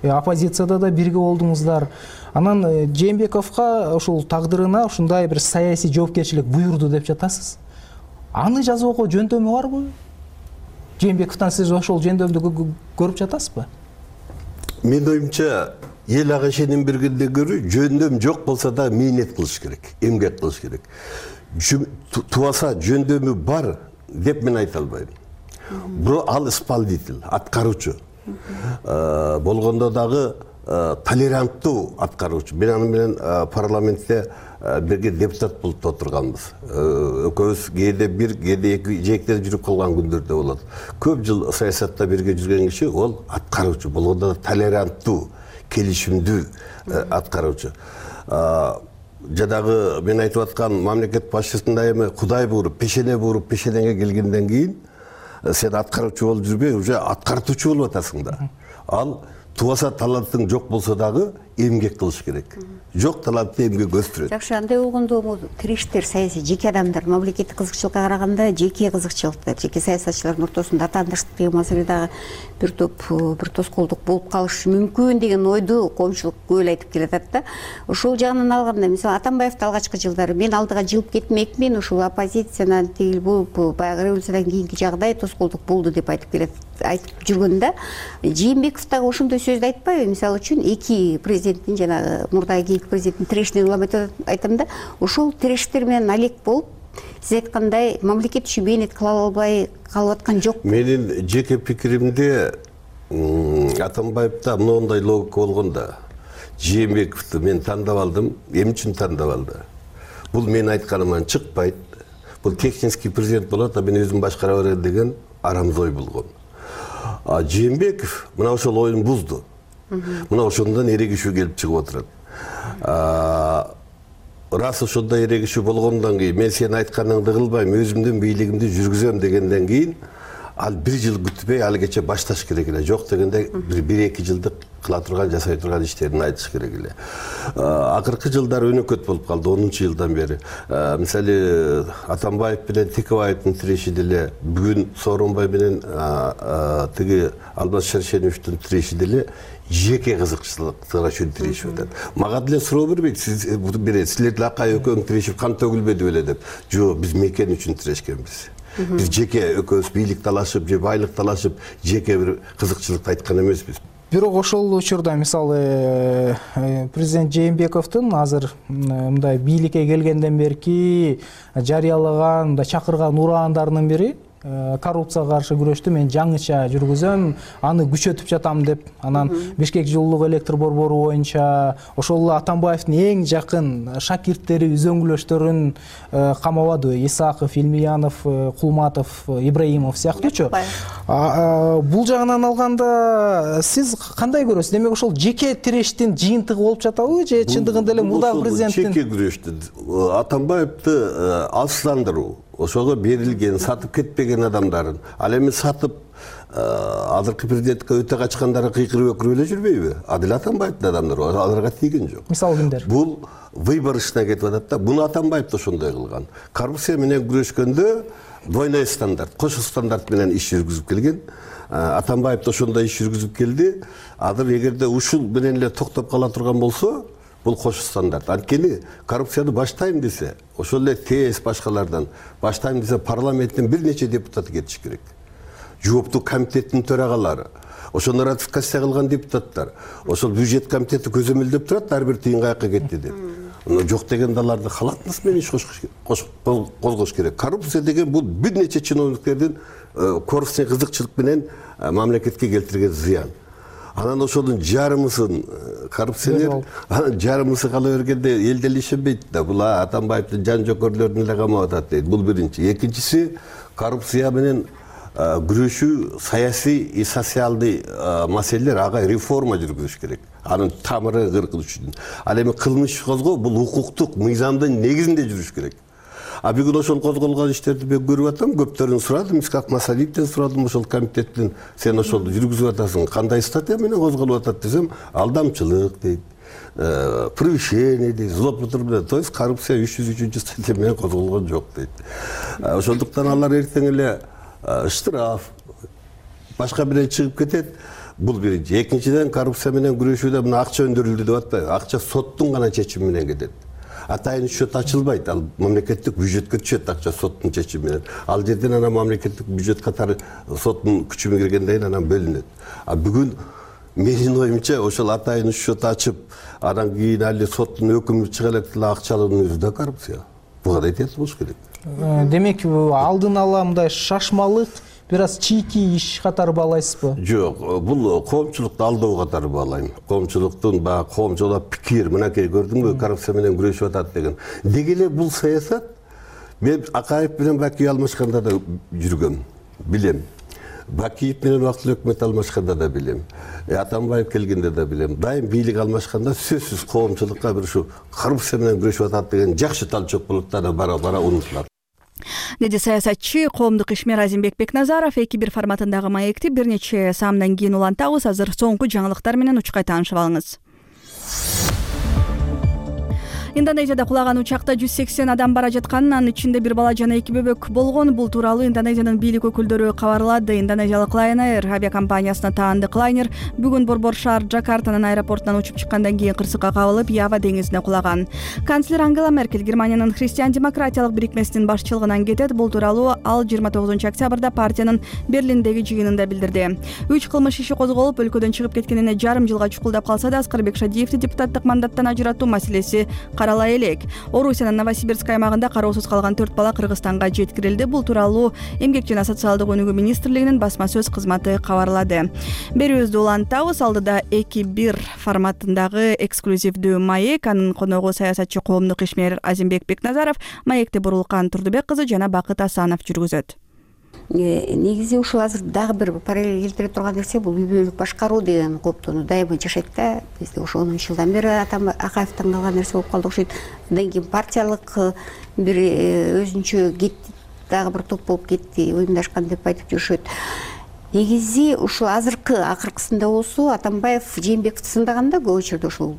оппозицияда да бирге болдуңуздар. Анан Жээнбековго ушул тагдырына ушундай бир саясий жоопкерчилик буйрду деп жатасыз. Аны жазууга жөндөмү барбы? Жээнбековдон сиз ошол жөндөмдү көрүп жатасызбы? Менин оюмча, эл ага ишеним бергенден көрө жөндөм жок болсо да мээнет кылыш керек, эмгек кылыш керек. Тубаса жөндөмү бар деп мен айта албайм. Ал исполнитель, аткаруучу. Болгондо дагы толеранттуу аткаруучу. Мен аны менен парламентте бирге депутат болуп отурганбыз. Экөөбүз кээде бир, кээде эки жээктен жүрүп калган күндөрдө болот. Көп жыл саясатта бирге жүргөн киши ол аткаруучу. Болгондо толеранттуу, келишимдүү аткаруучу. Жадагы мен айтып аткан мамлекет башчысында эми Кудай буруп, пешенеге келгенден кийин сен аткаруучу болуп жүрбөй, уже аткартуучу болуп атасың да. Ал тубаса талантың жок болсо дагы эмгек кылыш керек. Жок талантты эмгек өстүрөт. Жакшы, андай болгондо тирештер саясий жеке адамдар мамлекеттик кызыкчылыкка караганда жеке кызыкчылыктар, жеке саясатчылардын ортосунда атаандыштык деген маселе дагы бир тоскоолдук болуп калышы мүмкүн деген ойду коомчулук көп эле айтып келатат да. Ошол жагынан алганда, мисалы Атамбаевди алгачкы жылдары мен алдыга жылып кетмекмин, ушул оппозициянан тигил болуп, баягы революциядан кийинки жагдай тоскоолдук болду деп айтып жүргөндө, Жээнбеков дагы ошондой сөздү айтпайбы? Мисалы үчүн эки президенттин жанагы мурдагы президенттин тирешине улам айтам да, ошол тирештер менен алек болуп, сиз айткандай мамлекет үчүн мээнет кыла албай калып аткан жок. Менин жеке пикиримде Атамбаевда мындай логика болгондо, Жээнбековду мен тандап алдым, эмне үчүн тандап алды? Бул менин айтканымдан чыкпайт. Бул технический президент болот, мен өзүм башкара берем деген арамыз ой болгон. Жээнбеков мына ошол оюн бузду. Мына ошондон эрегишүү келип чыгып отурат. Рас ошондой эрегишүү болгондон кийин мен сенин айтканыңды кылбайм, өзүмдүн бийлигимди жүргүзөм дегенден кийин ал 1 жыл күтпөй ал кече башташ керек эле. Жок дегенде 1-2 жылдык кыла турган, жасай турган иштерин айтыш керек эле. Акыркы жылдары өнөкөт болуп калды, 10-жылдан бери. Мисалы Атамбаев менен Текебаевдин тиреши деле, бүгүн Сооронбай менен тиги Алмаз Шаршеновичтин тиреши деле жеке кызыкчылыктар үчүн тирешип атат. Мага деле суроо бербейт, силер деле акай экөөң тирешип кан төгүлбөдү беле деп. Жок, биз мекен үчүн тирешкенбиз. Биз жеке экөөбүз бийлик талашып же байлык талашып жеке бир кызыкчылыкты айткан эмеспиз. Бирок ошол учурда мисалы президент Жээнбековдун азыр мындай бийликке келгенден берки жарыялаган, чакырган ураандарынын бири коррупцияга каршы күрөштү мен жаңыча жүргүзөм, аны күчөтүп жатам деп. Анан Бишкек жылуулук электр борбору боюнча ошол эле Атамбаевдин эң жакын шакирттери, үзөңгүлөштөрүн камабады. Исаков, Илмиянов, Кулматов, Ибраимов сыяктуучу. Бул жагынан алганда сиз кандай көрөсүз? Демек ошол жеке тирештин жыйынтыгы болуп жатабы же чындыгында эле мурдагы президенттин жеке күрөштү Атамбаевди алсыздандыруу, ошого берилген, сатып кетпеген адамдарын, ал эми сатып азыркы президентке өтө качкандары кыйкырып өкүрүп эле жүрбөйбү? Адил Атамбаевдин адамдары аларга тийген жок. Мисалы кимдер? Бул выбор ишине кетип атат да. Буну Атамбаев да ошондой кылган. Коррупция менен күрөшкөндө двойной стандарт, кошо стандарт менен иш жүргүзүп келген. Атамбаев да ошондой иш жүргүзүп келди. Азыр эгерде ушул менен эле токтоп кала турган болсо, бул кошо стандарт. Анткени коррупцияны баштайм десе, ошол эле ТС башкалардан баштайм десе парламенттин бир нече депутаты кетиш керек. Жооптуу комитеттин төрагалары, ошону ратификация кылган депутаттар, ошол бюджет комитети көзөмөлдөп турат, ар бир тыйын каяка кетти деп. Жок дегенде аларды халатныс менен иш козгош керек. Коррупция деген бул бир нече чиновниктердин корыстын кызыкчылык менен мамлекетке келтирген зыян. Анан ошонун жарымысын коррупционер, анан жарымысы кала бергенде эл деле ишенбейт да. Бул Атамбаевдин жан жокөрлөрүн эле камап атат дейт. Бул биринчи. Экинчиси, коррупция менен күрөшүү саясий и социалдый маселелер, ага реформа жүргүзүш керек. Анын тамыры кыркылыш үчүн. Ал эми кылмыш козгоо бул укуктук мыйзамдын негизинде жүрүш керек. Бүгүн ошол козголгон иштерди мен көрүп атам, көптөрүн сурадым, Исхак Масалиевден сурадым, ошол комитеттин сен ошол жүргүзүп атасың, кандай статья менен козголуп атат десем, алдамчылык дейт, превышение дейт, злоупотребление, то есть коррупция 303 статья менен козголгон жок дейт. Ошондуктан алар эртең эле штраф башка менен чыгып кетет. Бул биринчи. Экинчиден, коррупция менен күрөшүүдө мына акча өндүрүлдү деп атпайбы? Акча соттун гана чечими менен кетет. Атайын счет ачылбайт, ал мамлекеттик бюджетке түшөт акча соттун чечими менен. Ал жерден анан мамлекеттик бюджет катары соттун күчүмө киргенден кийин анан бөлүнөт. Бүгүн менин оюмча ошол атайын счет ачып, анан кийин али соттун өкүмү чыга элек деле акча алуунун өзү да коррупция. Буга да этият болуш керек. Демек алдын ала мындай шашмалык бир аз чийки иш катары баалайсызбы? Жок, бул коомчулукту алдоо катары баалайм. Коомчулуктун баягы коомчулук пикир, мынакей көрдүңбү, коррупция менен күрөшүп атат деген. Деги эле бул саясат мен Акаев менен Бакиев алмашканда да жүргөм, билем. Бакиев менен убактылуу өкмөт алмашканда да билем. Атамбаев келгенде да билем. Дайым бийлик алмашканда сөзсүз коомчулукка бир ушу коррупция менен күрөшүп атат деген жакшы талчок болот да бара-бара унутулат. Деди саясатчы, коомдук ишмер Азимбек Бекназаров. 2-1 форматындагы маекти бир нече саамдан кийин улантабыз. Азыр соңку жаңылыктар менен учкай таанышып алыңыз. Индонезияда кулаган учакта 180 адам бара жатканын, анын ичинде бир бала жана 2 бөбөк болгон. Бул тууралуу Индонезиянын бийлик өкүлдөрү кабарлады. Индонезиялык Lion Air авиакомпаниясына таандык лайнер бүгүн борбор шаар Джакартанын аэропортунан учуп чыккандан кийин кырсыкка кабылып, Ява деңизине кулаган. Канцлер Ангела Меркель Германиянын христиан-демократиялык бирикмесинин башчылыгынан кетет. Бул тууралуу ал 29-октябрда партиянын Берлиндеги жыйынында билдирди. 3 кылмыш иши козголуп, өлкөдөн чыгып кеткенине жарым жылга чукулдап калса да, Аскарбек Шадиевди депутаттык мандаттан ажыратуу маселеси каралай элек. Орусиянын Новосибирск аймагында кароосуз калган 4 бала Кыргызстанга жеткирилди. Бул тууралуу Эмгек жана социалдык өнүгүү министрлигинин басма сөз кызматы кабарлады. Берүүбүздү улантабыз. Алдыда 2-1 форматындагы эксклюзивдүү маек. Анын коногу саясатчы, коомдук ишмер Азимбек Бекназаров, маекти Бурулкан Турдубек кызы жана Бакыт Асанов жүргүзөт. Негизи ушул азыр дагы бир параллель келтире турган нерсе бул үй бүлөлүк башкаруу деген коптону дайыма жашайт да. Бизде ошо 10 жылдан бери Акаевден калган нерсе болуп калды окшойт. Андан кийин партиялык бир өзүнчө кетти, дагы бир топ болуп кетти, уюмдашкан деп айтып жүрүшөт. негизи ушул азыркы акыркысында болсо Атамбаев Жээнбековду сындаганда көп учурда ушул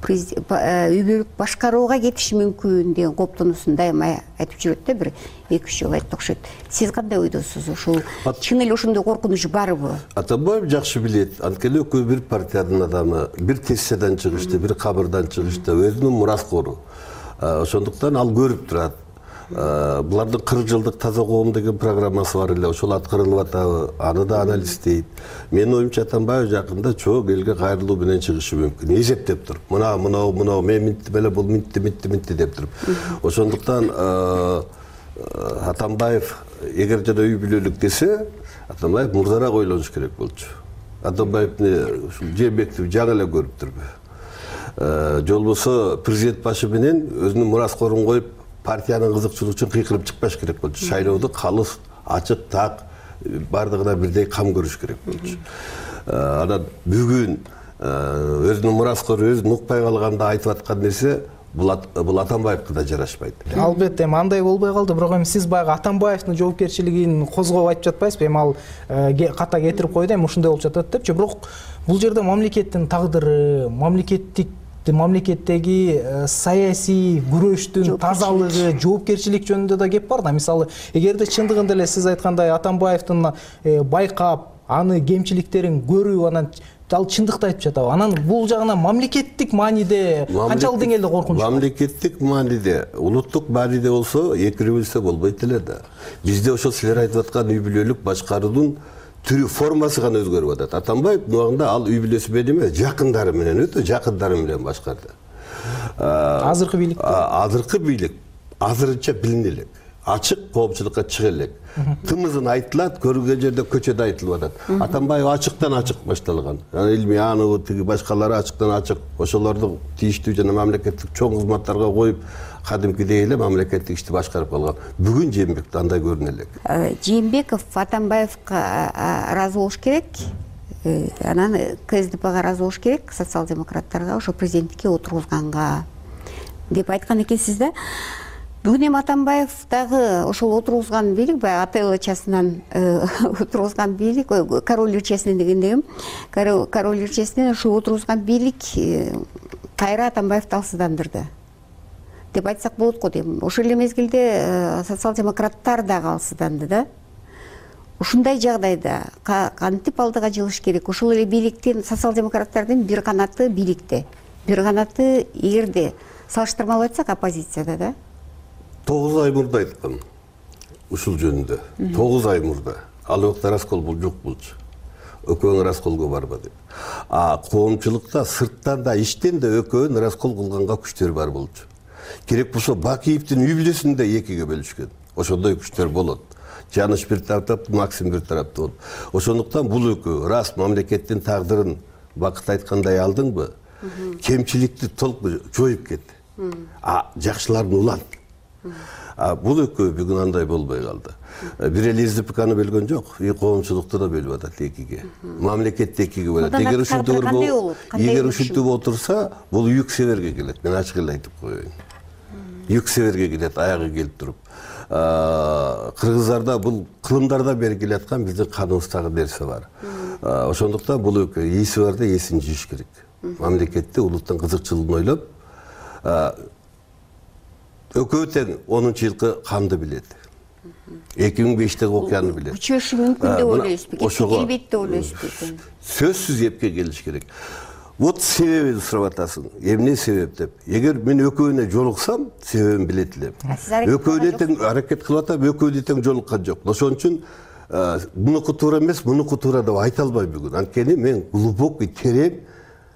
үй бүлөлүк башкарууга кетиши мүмкүн деген кооптонуусун дайыма айтып жүрөт да, бир 2-3 жолу айтты окшойт. Сиз кандай ойдосуз? Ушул чын эле ошондой коркунуч барбы? Атамбаев жакшы билет. Анткени экөө бир партиянын адамы, бир тестиядан чыгышты, бир кабырдан чыгышты, өзүнүн мураскору. Ошондуктан ал көрүп турат. Булардын 40 жылдык таза коом деген программасы бар эле, ошол аткарылып атабы, аны да анализдейт. Менин оюмча Атамбаев жакында чоң элге кайрылуу менен чыгышы мүмкүн. Эсептеп туруп, мына мен минттим эле, бул минтти деп туруп. Ошондуктан Атамбаев эгер жана үй бүлөлүк десе, Атамбаев мурдараак ойлонуш керек болчу. Атамбаевни Жээнбековду жаңы эле көрүп турбу. Жол болсо президент башы менен өзүнүн мураскорун коюп, партиянын кызыкчылыгы үчүн кыйкырып чыкпаш керек болчу. Шайлоодо калыс, ачык, так бардыгына бирдей кам көрүш керек болчу. Анан бүгүн өзүнүн мураскору өзүн укпай калганда айтып аткан нерсе бул Атамбаевге да жарашпайт. Албетте андай болбой калды, бирок эми сиз баягы Атамбаевдин жоопкерчилигин козгоп айтып жатпайсызбы? Эми ал ката кетирип койду, эми ушундай болуп жатат депчи. Бирок бул жерде мамлекеттин тагдыры, мамлекеттеги саясий күрөштүн тазалыгы, жоопкерчилик жөнүндө да кеп бар да. Мисалы, эгерде чындыгында эле сиз айткандай Атамбаевдин байкап, аны кемчиликтерин көрүп, анан ал чындыкты айтып жатабы? Анан бул жагынан мамлекеттик мааниде канчалык деңгээлде коркунуч? Мамлекеттик мааниде, улуттук мааниде болсо экирүү билсе болбойт эле да. Бизде ошол силер айтып аткан үй бүлөлүк башкаруунун түрү, формасы гана өзгөрүп атат. Атамбаев убагында ал үй бүлөсү менен эмес, жакындары менен, өтө жакындары менен башкарды. Азыркы бийлик? Азыркы бийлик азырынча билине элек. Ачык коомчулукка чыга элек. Тымызын айтылат, көрүнгөн жерде көчөдө айтылып атат. Атамбаев ачыктан ачык башталган. Илмиянова, тиги башкалары ачыктан ачык. Ошолорду тийиштүү жана мамлекеттик чоң кызматтарга коюп, кадимкидей эле мамлекеттик ишти башкарып калган. Бүгүн Жээнбеков андай көрүнө элек. Жээнбеков Атамбаевга ыраазы болуш керек. Анан КСДПга ыраазы болуш керек, социал-демократтарга, ошо президенттикке отургузганга деп айткан экенсиз да. Бүгүн эми Атамбаев дагы ошол отургузган бийлик, баягы АТЛ ырчасынан отургузган бийлик, король ырчасынан дегендегим, король ырчасынан ошол отургузган бийлик кайра Атамбаевди алсыздандырды деп айтсак болот го дейм. Ошол эле мезгилде социал-демократтар дагы алсызданды да. Ушундай жагдайда кантип алдыга жылыш керек? Ошол эле бийликтин, социал-демократтардын бир канаты бийликте, бир канаты эгерде салыштырмалуу айтсак оппозицияда да. 9 ай мурда айткан ушул жөнүндө. 9 ай мурда. Ал убакта раскол жок болчу. Экөөң расколго барба деп. Коомчулукта сырттан да иштен да экөөн раскол кылганга күчтөр бар болчу. Керек болсо Бакиевдин үй бүлөсүн да экиге бөлүшкөн. Ошондой күчтөр болот. Жаныш бир тараптап, Максим бир тарапта болот. Ошондуктан бул экөө рас мамлекеттин тагдырын Бакыт айткандай алдыңбы? Кемчиликти толук жоюп кетти. Жакшыларын улант. Бул экөө бүгүн андай болбой калды. Бир эле РЗПКны бөлгөн жок, коомчулукту да бөлүп атат экиге. Мамлекетти экиге бөлөт. Эгер ушинтип отурса, бул Юг Северге келет. Мен ачык эле айтып коеюн. Юг Северге келет, аягы келип туруп. Кыргыздарда бул кылымдардан бери келаткан биздин каныбыздагы нерсе бар. Ошондуктан бул экөө эси барда эсин жийиш керек. Мамлекетти, улуттун кызыкчылыгын ойлоп, экөө тең 10-жылкы канды билет. 2005-теги окуяны билет. Күчөшү мүмкүн деп ойлойсузбу? Келбейт деп ойлойсузбу? Сөзсүз эпке келиш керек. Вот себебин сурап атасың. Эмне себеп деп. Эгер мен экөөүнө жолуксам, себебин билет элем. Экөөүнө тең аракет кылып атам, экөөүнө тең жолуккан жок. Ошон үчүн мунуку туура эмес, мунуку туура деп айта албайм бүгүн. Анткени мен глубокий, терең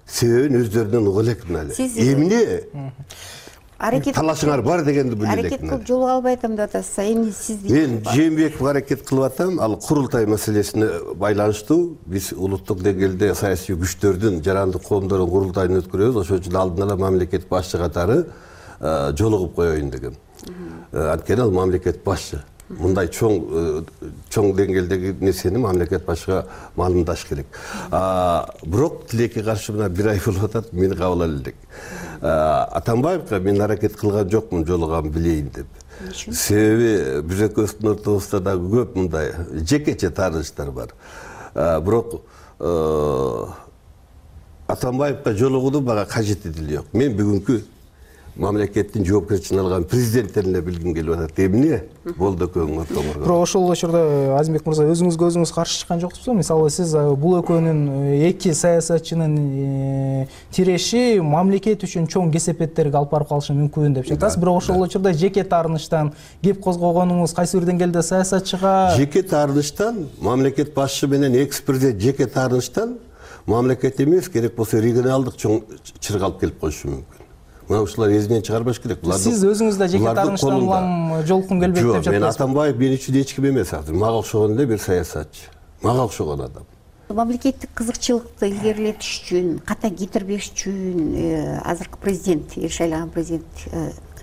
себебин өздөрүнөн уга элекмин эле. Эмне талашыңар бар дегенди биле элекмин. Аракет кылып жолуга албай атам деп атасыз. Эми сиз мен Жээнбековго аракет кылып атам. Ал курултай маселесине байланыштуу. Биз улуттук деңгээлде саясий күчтөрдүн, жарандык коомдордун курултайын өткөрөбүз. Ошон үчүн алдын ала мамлекет башчы катары жолугуп коеюн дегем. Анткени ал мамлекет башчы. Мындай чоң деңгээлдеги нерсени мамлекет башчыга маалымдаш керек. Бирок тилекке каршы мына бир ай болуп атат, мени кабыл ала элек. Атамбаевга мен аракет кылган жокмун жолугам билейин деп. Себеби биз экөөбүздүн ортобузда дагы көп мындай жекече таанышдар бар. бирок Атамбаевга жолугуунун мага кажети деле жок. Мен бүгүнкү мамлекеттин жоопкерчилигин алган президенттерин эле билгим келип атат. Эмне болду экөөңүң ортоңорго? Бирок ошол учурда Азимбек мырза өзүңүзгө өзүңүз каршы чыккан жоксузбу? Мисалы сиз бул экөөнүн эки саясатчынын тиреши мамлекет үчүн чоң кесепеттерге алып барып калышы мүмкүн деп жатасыз. Бирок ошол учурда жеке таарынычтан кеп козгогонуңуз кайсы бир деңгээлде саясатчыга жеке таарынычтан мамлекет башчы менен экс-президент жеке таарынычтан мамлекет эмес, керек болсо регионалдык чоң чыргалып келип коюшу мүмкүн. Мына ушулар эзинен чыгарбаш керек. Сиз өзүңүз да жеке таарынычтан улам жолкун келбейт деп жатасыз. Мен Атамбаев мен үчүн эч ким эмес азыр. Мага окшогон эле бир саясатчы. Мага окшогон адам. Мамлекеттик кызыкчылыкты илгерилетиш үчүн, ката кетирбеш үчүн азыркы президент, шайланган президент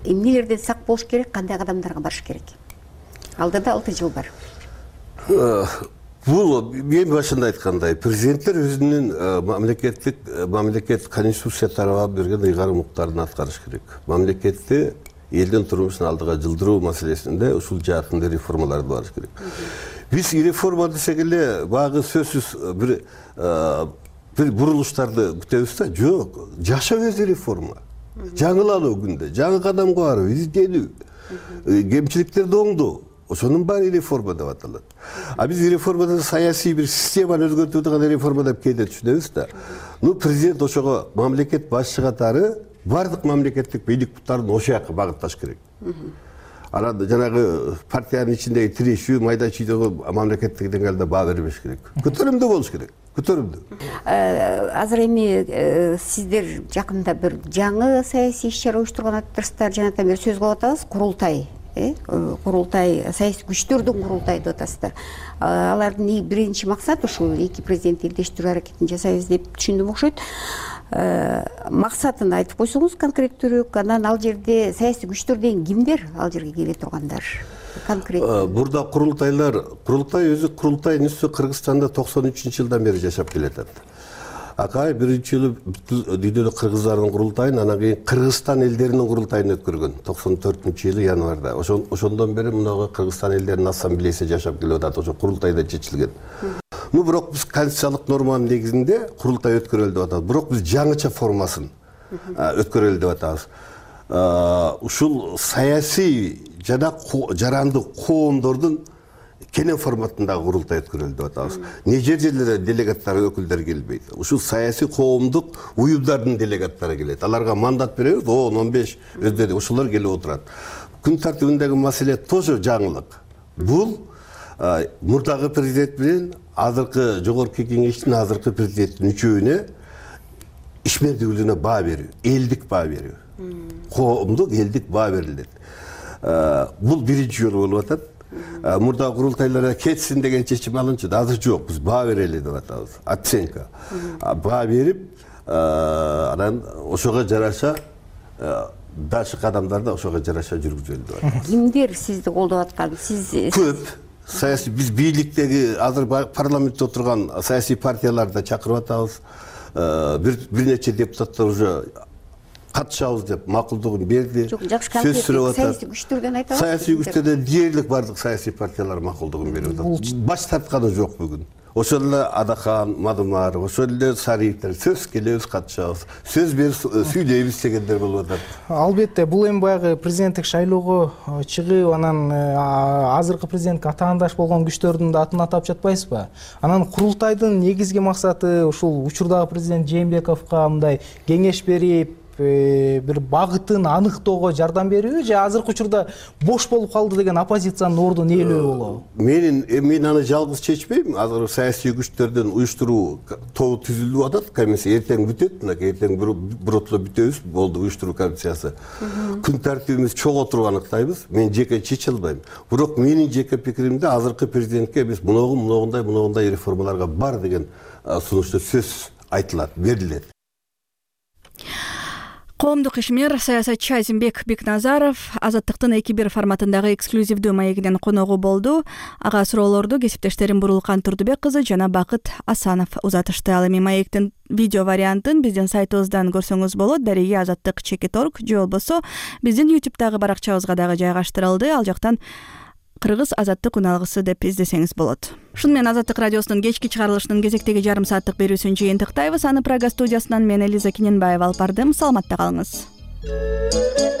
эмнелерден сак болуш керек, кандай кадамдарга барыш керек? Алдыда 6 жыл бар. Бул мен башында айткандай, президенттер өзүнүн мамлекет конституция тарабынан берген ыйгарым укуктарын аткарыш керек. Мамлекетти элдин турмушун алдыга жылдыруу маселесинде ушул жаатында реформаларды барыш керек. Биз реформа десек эле багы сөзсүз бир бурулуштарды күтөбүз да, жок. Жашоо өзү реформа. Жаңылануу күндө, жаңы кадамга баруу, изденүү, кемчиликтерди оңдоо. Ошонун баары реформа деп аталат. А биз реформадан саясий бир системаны өзгөртүү деген реформа деп кээде түшүнөбүз да. Президент ошого мамлекет башчы катары бардык мамлекеттик бийлик буттарын ошол жака багытташ керек. Анан жанагы партиянын ичиндеги тирешүү, майда чүйдөгө мамлекеттик деңгээлде баа бербеш керек. Көтөрүмдүү болуш керек. Көтөрүмдүү. Азыр эми сиздер жакында бир жаңы саясий иш-чара уюштурган атасыздар, жанатан бери сөз кылып атабыз, курултай. Курултай, саясий күчтөрдүн курултайы деп атасыздар. Алардын биринчи максаты ушул эки президент элдештирүү аракетин жасайбыз деп түшүндүм окшойт. Максатын айтып койсоңуз конкреттүүрөөк, анан ал жерде саясий күчтөр деген кимдер ал жерге келе тургандар? Конкреттүү. Бурда курултай өзү курултайдын үстү Кыргызстанда 93-жылдан бери жашап келатат. Акай биринчи жолу дүйнөлүк кыргыздардын курултайын, анан кийин Кыргызстан элдеринин курултайын өткөргөн 94-жылы январда. Ошондон бери мынага Кыргызстан элдеринин ассамблеясы жашап келип атат, ошо курултайда чечилген. Бирок биз конституциялык норманын негизинде курултай өткөрөлү деп атабыз. Бирок биз жаңыча формасын өткөрөлү деп атабыз. Ушул саясий жана жарандык коомдордун кенен форматындагы курултай өткөрөлү деп атабыз. Жерлерде делегаттар, өкүлдөр келбейт. Ушул саясий коомдук уюмдардын делегаттары келет. Аларга мандат беребиз, 10-15 өздөрү ошолор келип отурат. Күн тартибиндеги маселе тоже жаңылык. Бул мурдагы президент менен азыркы жогорку кеңештин азыркы президенттин үчөөүнө ишмердүүлүгүнө баа берүү, элдик баа берүү. Коомдук элдик баа берилет. Бул биринчи жолу болуп атат. Мурда курултайларга кетсин деген чечим алынчу. Азыр жок, биз баа берели деп атабыз. Оценка. Баа берип, анан ошого жараша дальше кадамдарды ошого жараша жүргүзөлү деп атабыз. Кимдер сизди колдоп аткан? Сиз көп саясий биз бийликтеги азыр парламентте отурган саясий партияларды чакырып атабыз. Бир нече депутаттар уже катышабыз деп макулдугун берди. Сөз сүрөп атат. Саясий күчтөрдөн айтабыз. Саясий күчтөрдөн дээрлик бардык саясий партиялар макулдугун берип атат. Баш тартканы жок бүгүн. Ошол эле Адахан, Мадумар, ошол эле Сариевдер сөз келебиз, катышабыз. Сөз берип сүйлөйбүз дегендер болуп атат. Албетте, бул эми баягы президенттик шайлоого чыгып, анан азыркы президентке атаандаш болгон күчтөрдүн да атын атап жатпайсызбы? Анан курултайдын негизги максаты ушул учурдагы президент Жээнбековго мындай кеңеш берип, бир багытын аныктоого жардам берүүбү же азыркы учурда бош болуп калды деген оппозициянын ордун ээлөө болобу? Мен аны жалгыз чечпейм. Азыр саясий күчтөрдүн уюштуруу тобу түзүлүп атат. Комиссия эртең бүтөт, эртең биротуло бүтөбүз, болду уюштуруу комиссиясы. Күн тартибибиз чогуу отуруп аныктайбыз. Мен жеке чече албайм. Бирок менин жеке пикиримде азыркы президентке биз мындай реформаларга бар деген сунушту сөз айтылат, берилет. Коомдук ишмер саясатчы Азимбек Бекназаров Азаттыктын 2-1 форматындагы эксклюзивдүү маегинин коногу болду. Ага суроолорду кесиптештерим Бурулкан Турдубек кызы жана Бакыт Асанов узатышты. Ал эми маектин видео вариантын биздин сайтыбыздан көрсөңүз болот. Дареги Азаттык.org же болбосо биздин YouTube'дагы баракчабызга дагы жайгаштырылды. Ал жактан кыргыз азаттык үналгысы деп издесеңиз болот. Ушуну менен Азаттык радиосунун кечки чыгарылышынын кезектеги жарым сааттык берүүсүн жыйынтыктайбыз. Аны Прага студиясынан мен Элиза Киненбаева алып бардым. Саламатта калыңыз.